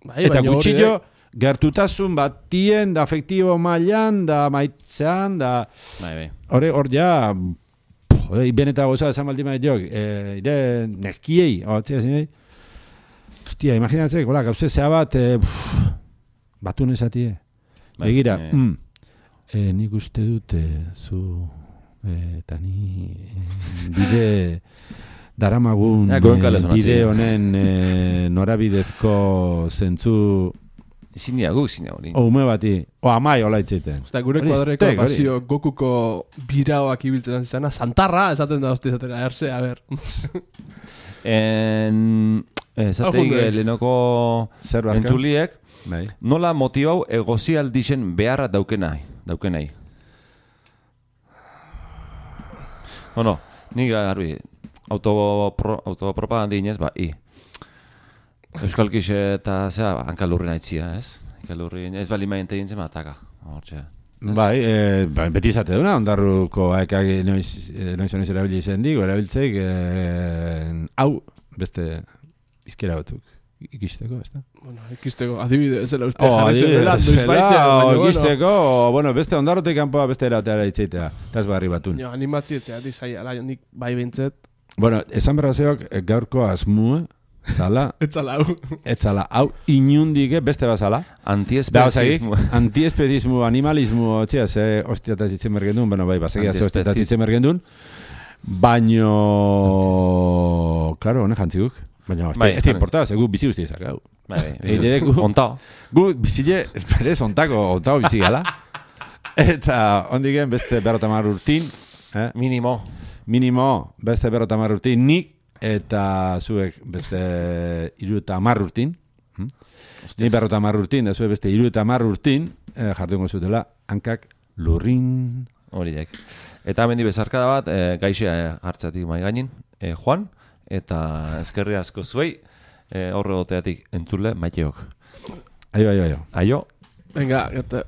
Bai, eta gutxillo, gertutasun batien, da afektibo mailan, da maitzean, da... Bai, bai. Hore, hor ja... Beneta goza, esan baldi mait jok, ire neskiei, hotzia zinei. Hostia, imaginatzek, hola, gauze zea bat, batun esatie. Begira, nik uste dut, zu, eta ni, bide... Daramagun bide honen norabidezko zentzu... Ezin diagu, ezin diagu. O, ume bati. O, amai hola itzeiten. Osta, gure kuadreko pasio Gokuko biraoak ibiltzen zizana. Santarra, esaten da hosti zatera, erze, a ber. Esateik, lehenoko entzuliek, nola motibau egozialdixen beharra daukenai. Daukenai. No, no, nik garbi, autopropagandi inez, ba, i. Euskalkixe eta zera, hankalurri nahitzia, ez? Hankalurri, ez bali maien tegin zema ataka. Bai, beti izate duna, ondarruko haekak noiz oniz erabili zen digo, erabiltzeik, hau, beste izkera batzuk. Ikisteko, ez da? Bueno, ikisteko, adibide, ez zela uste jarri zen dela, ikisteko, bueno, beste ondarrotek kanpoa beste erateara itxeitea, eta ez barri batun. Jo, animatzi etzea, dizai, ala, nik bai bintzet. Bueno, esan berrazeok gaurko asmue, zala. Etzala hau. Etzala hau, inundik beste bazala. Antiespezismo. Antiespezismo, animalismo, txea, ze hostiataz itzen mergendun, bueno, bai, basegia ze hostiataz itzen mergendun. Baino, claro, honek jantziguk. Baina, ez da importaz, gu bizi guzti ezak, hau. Bai, bai, ontao. Gu bizile, berez, ontako, ontao bizi gala. Eta, ondiken, beste berrotamar urtin. Minimo. Minimo, beste berrotamar urtin, nik, eta zuek beste iru eta hamar urtin. Ni berrota hamar urtin, da zuek beste iru eta hamar urtin, jartungo zutela, hankak lurrin. Horiek. Eta hemendi bezarkada bat, gaixea hartzatik mai gainin, Juan, eta eskerri asko zuei, horre goteatik entzule maiteok. Aio, aio, aio. Aio. Venga, gata.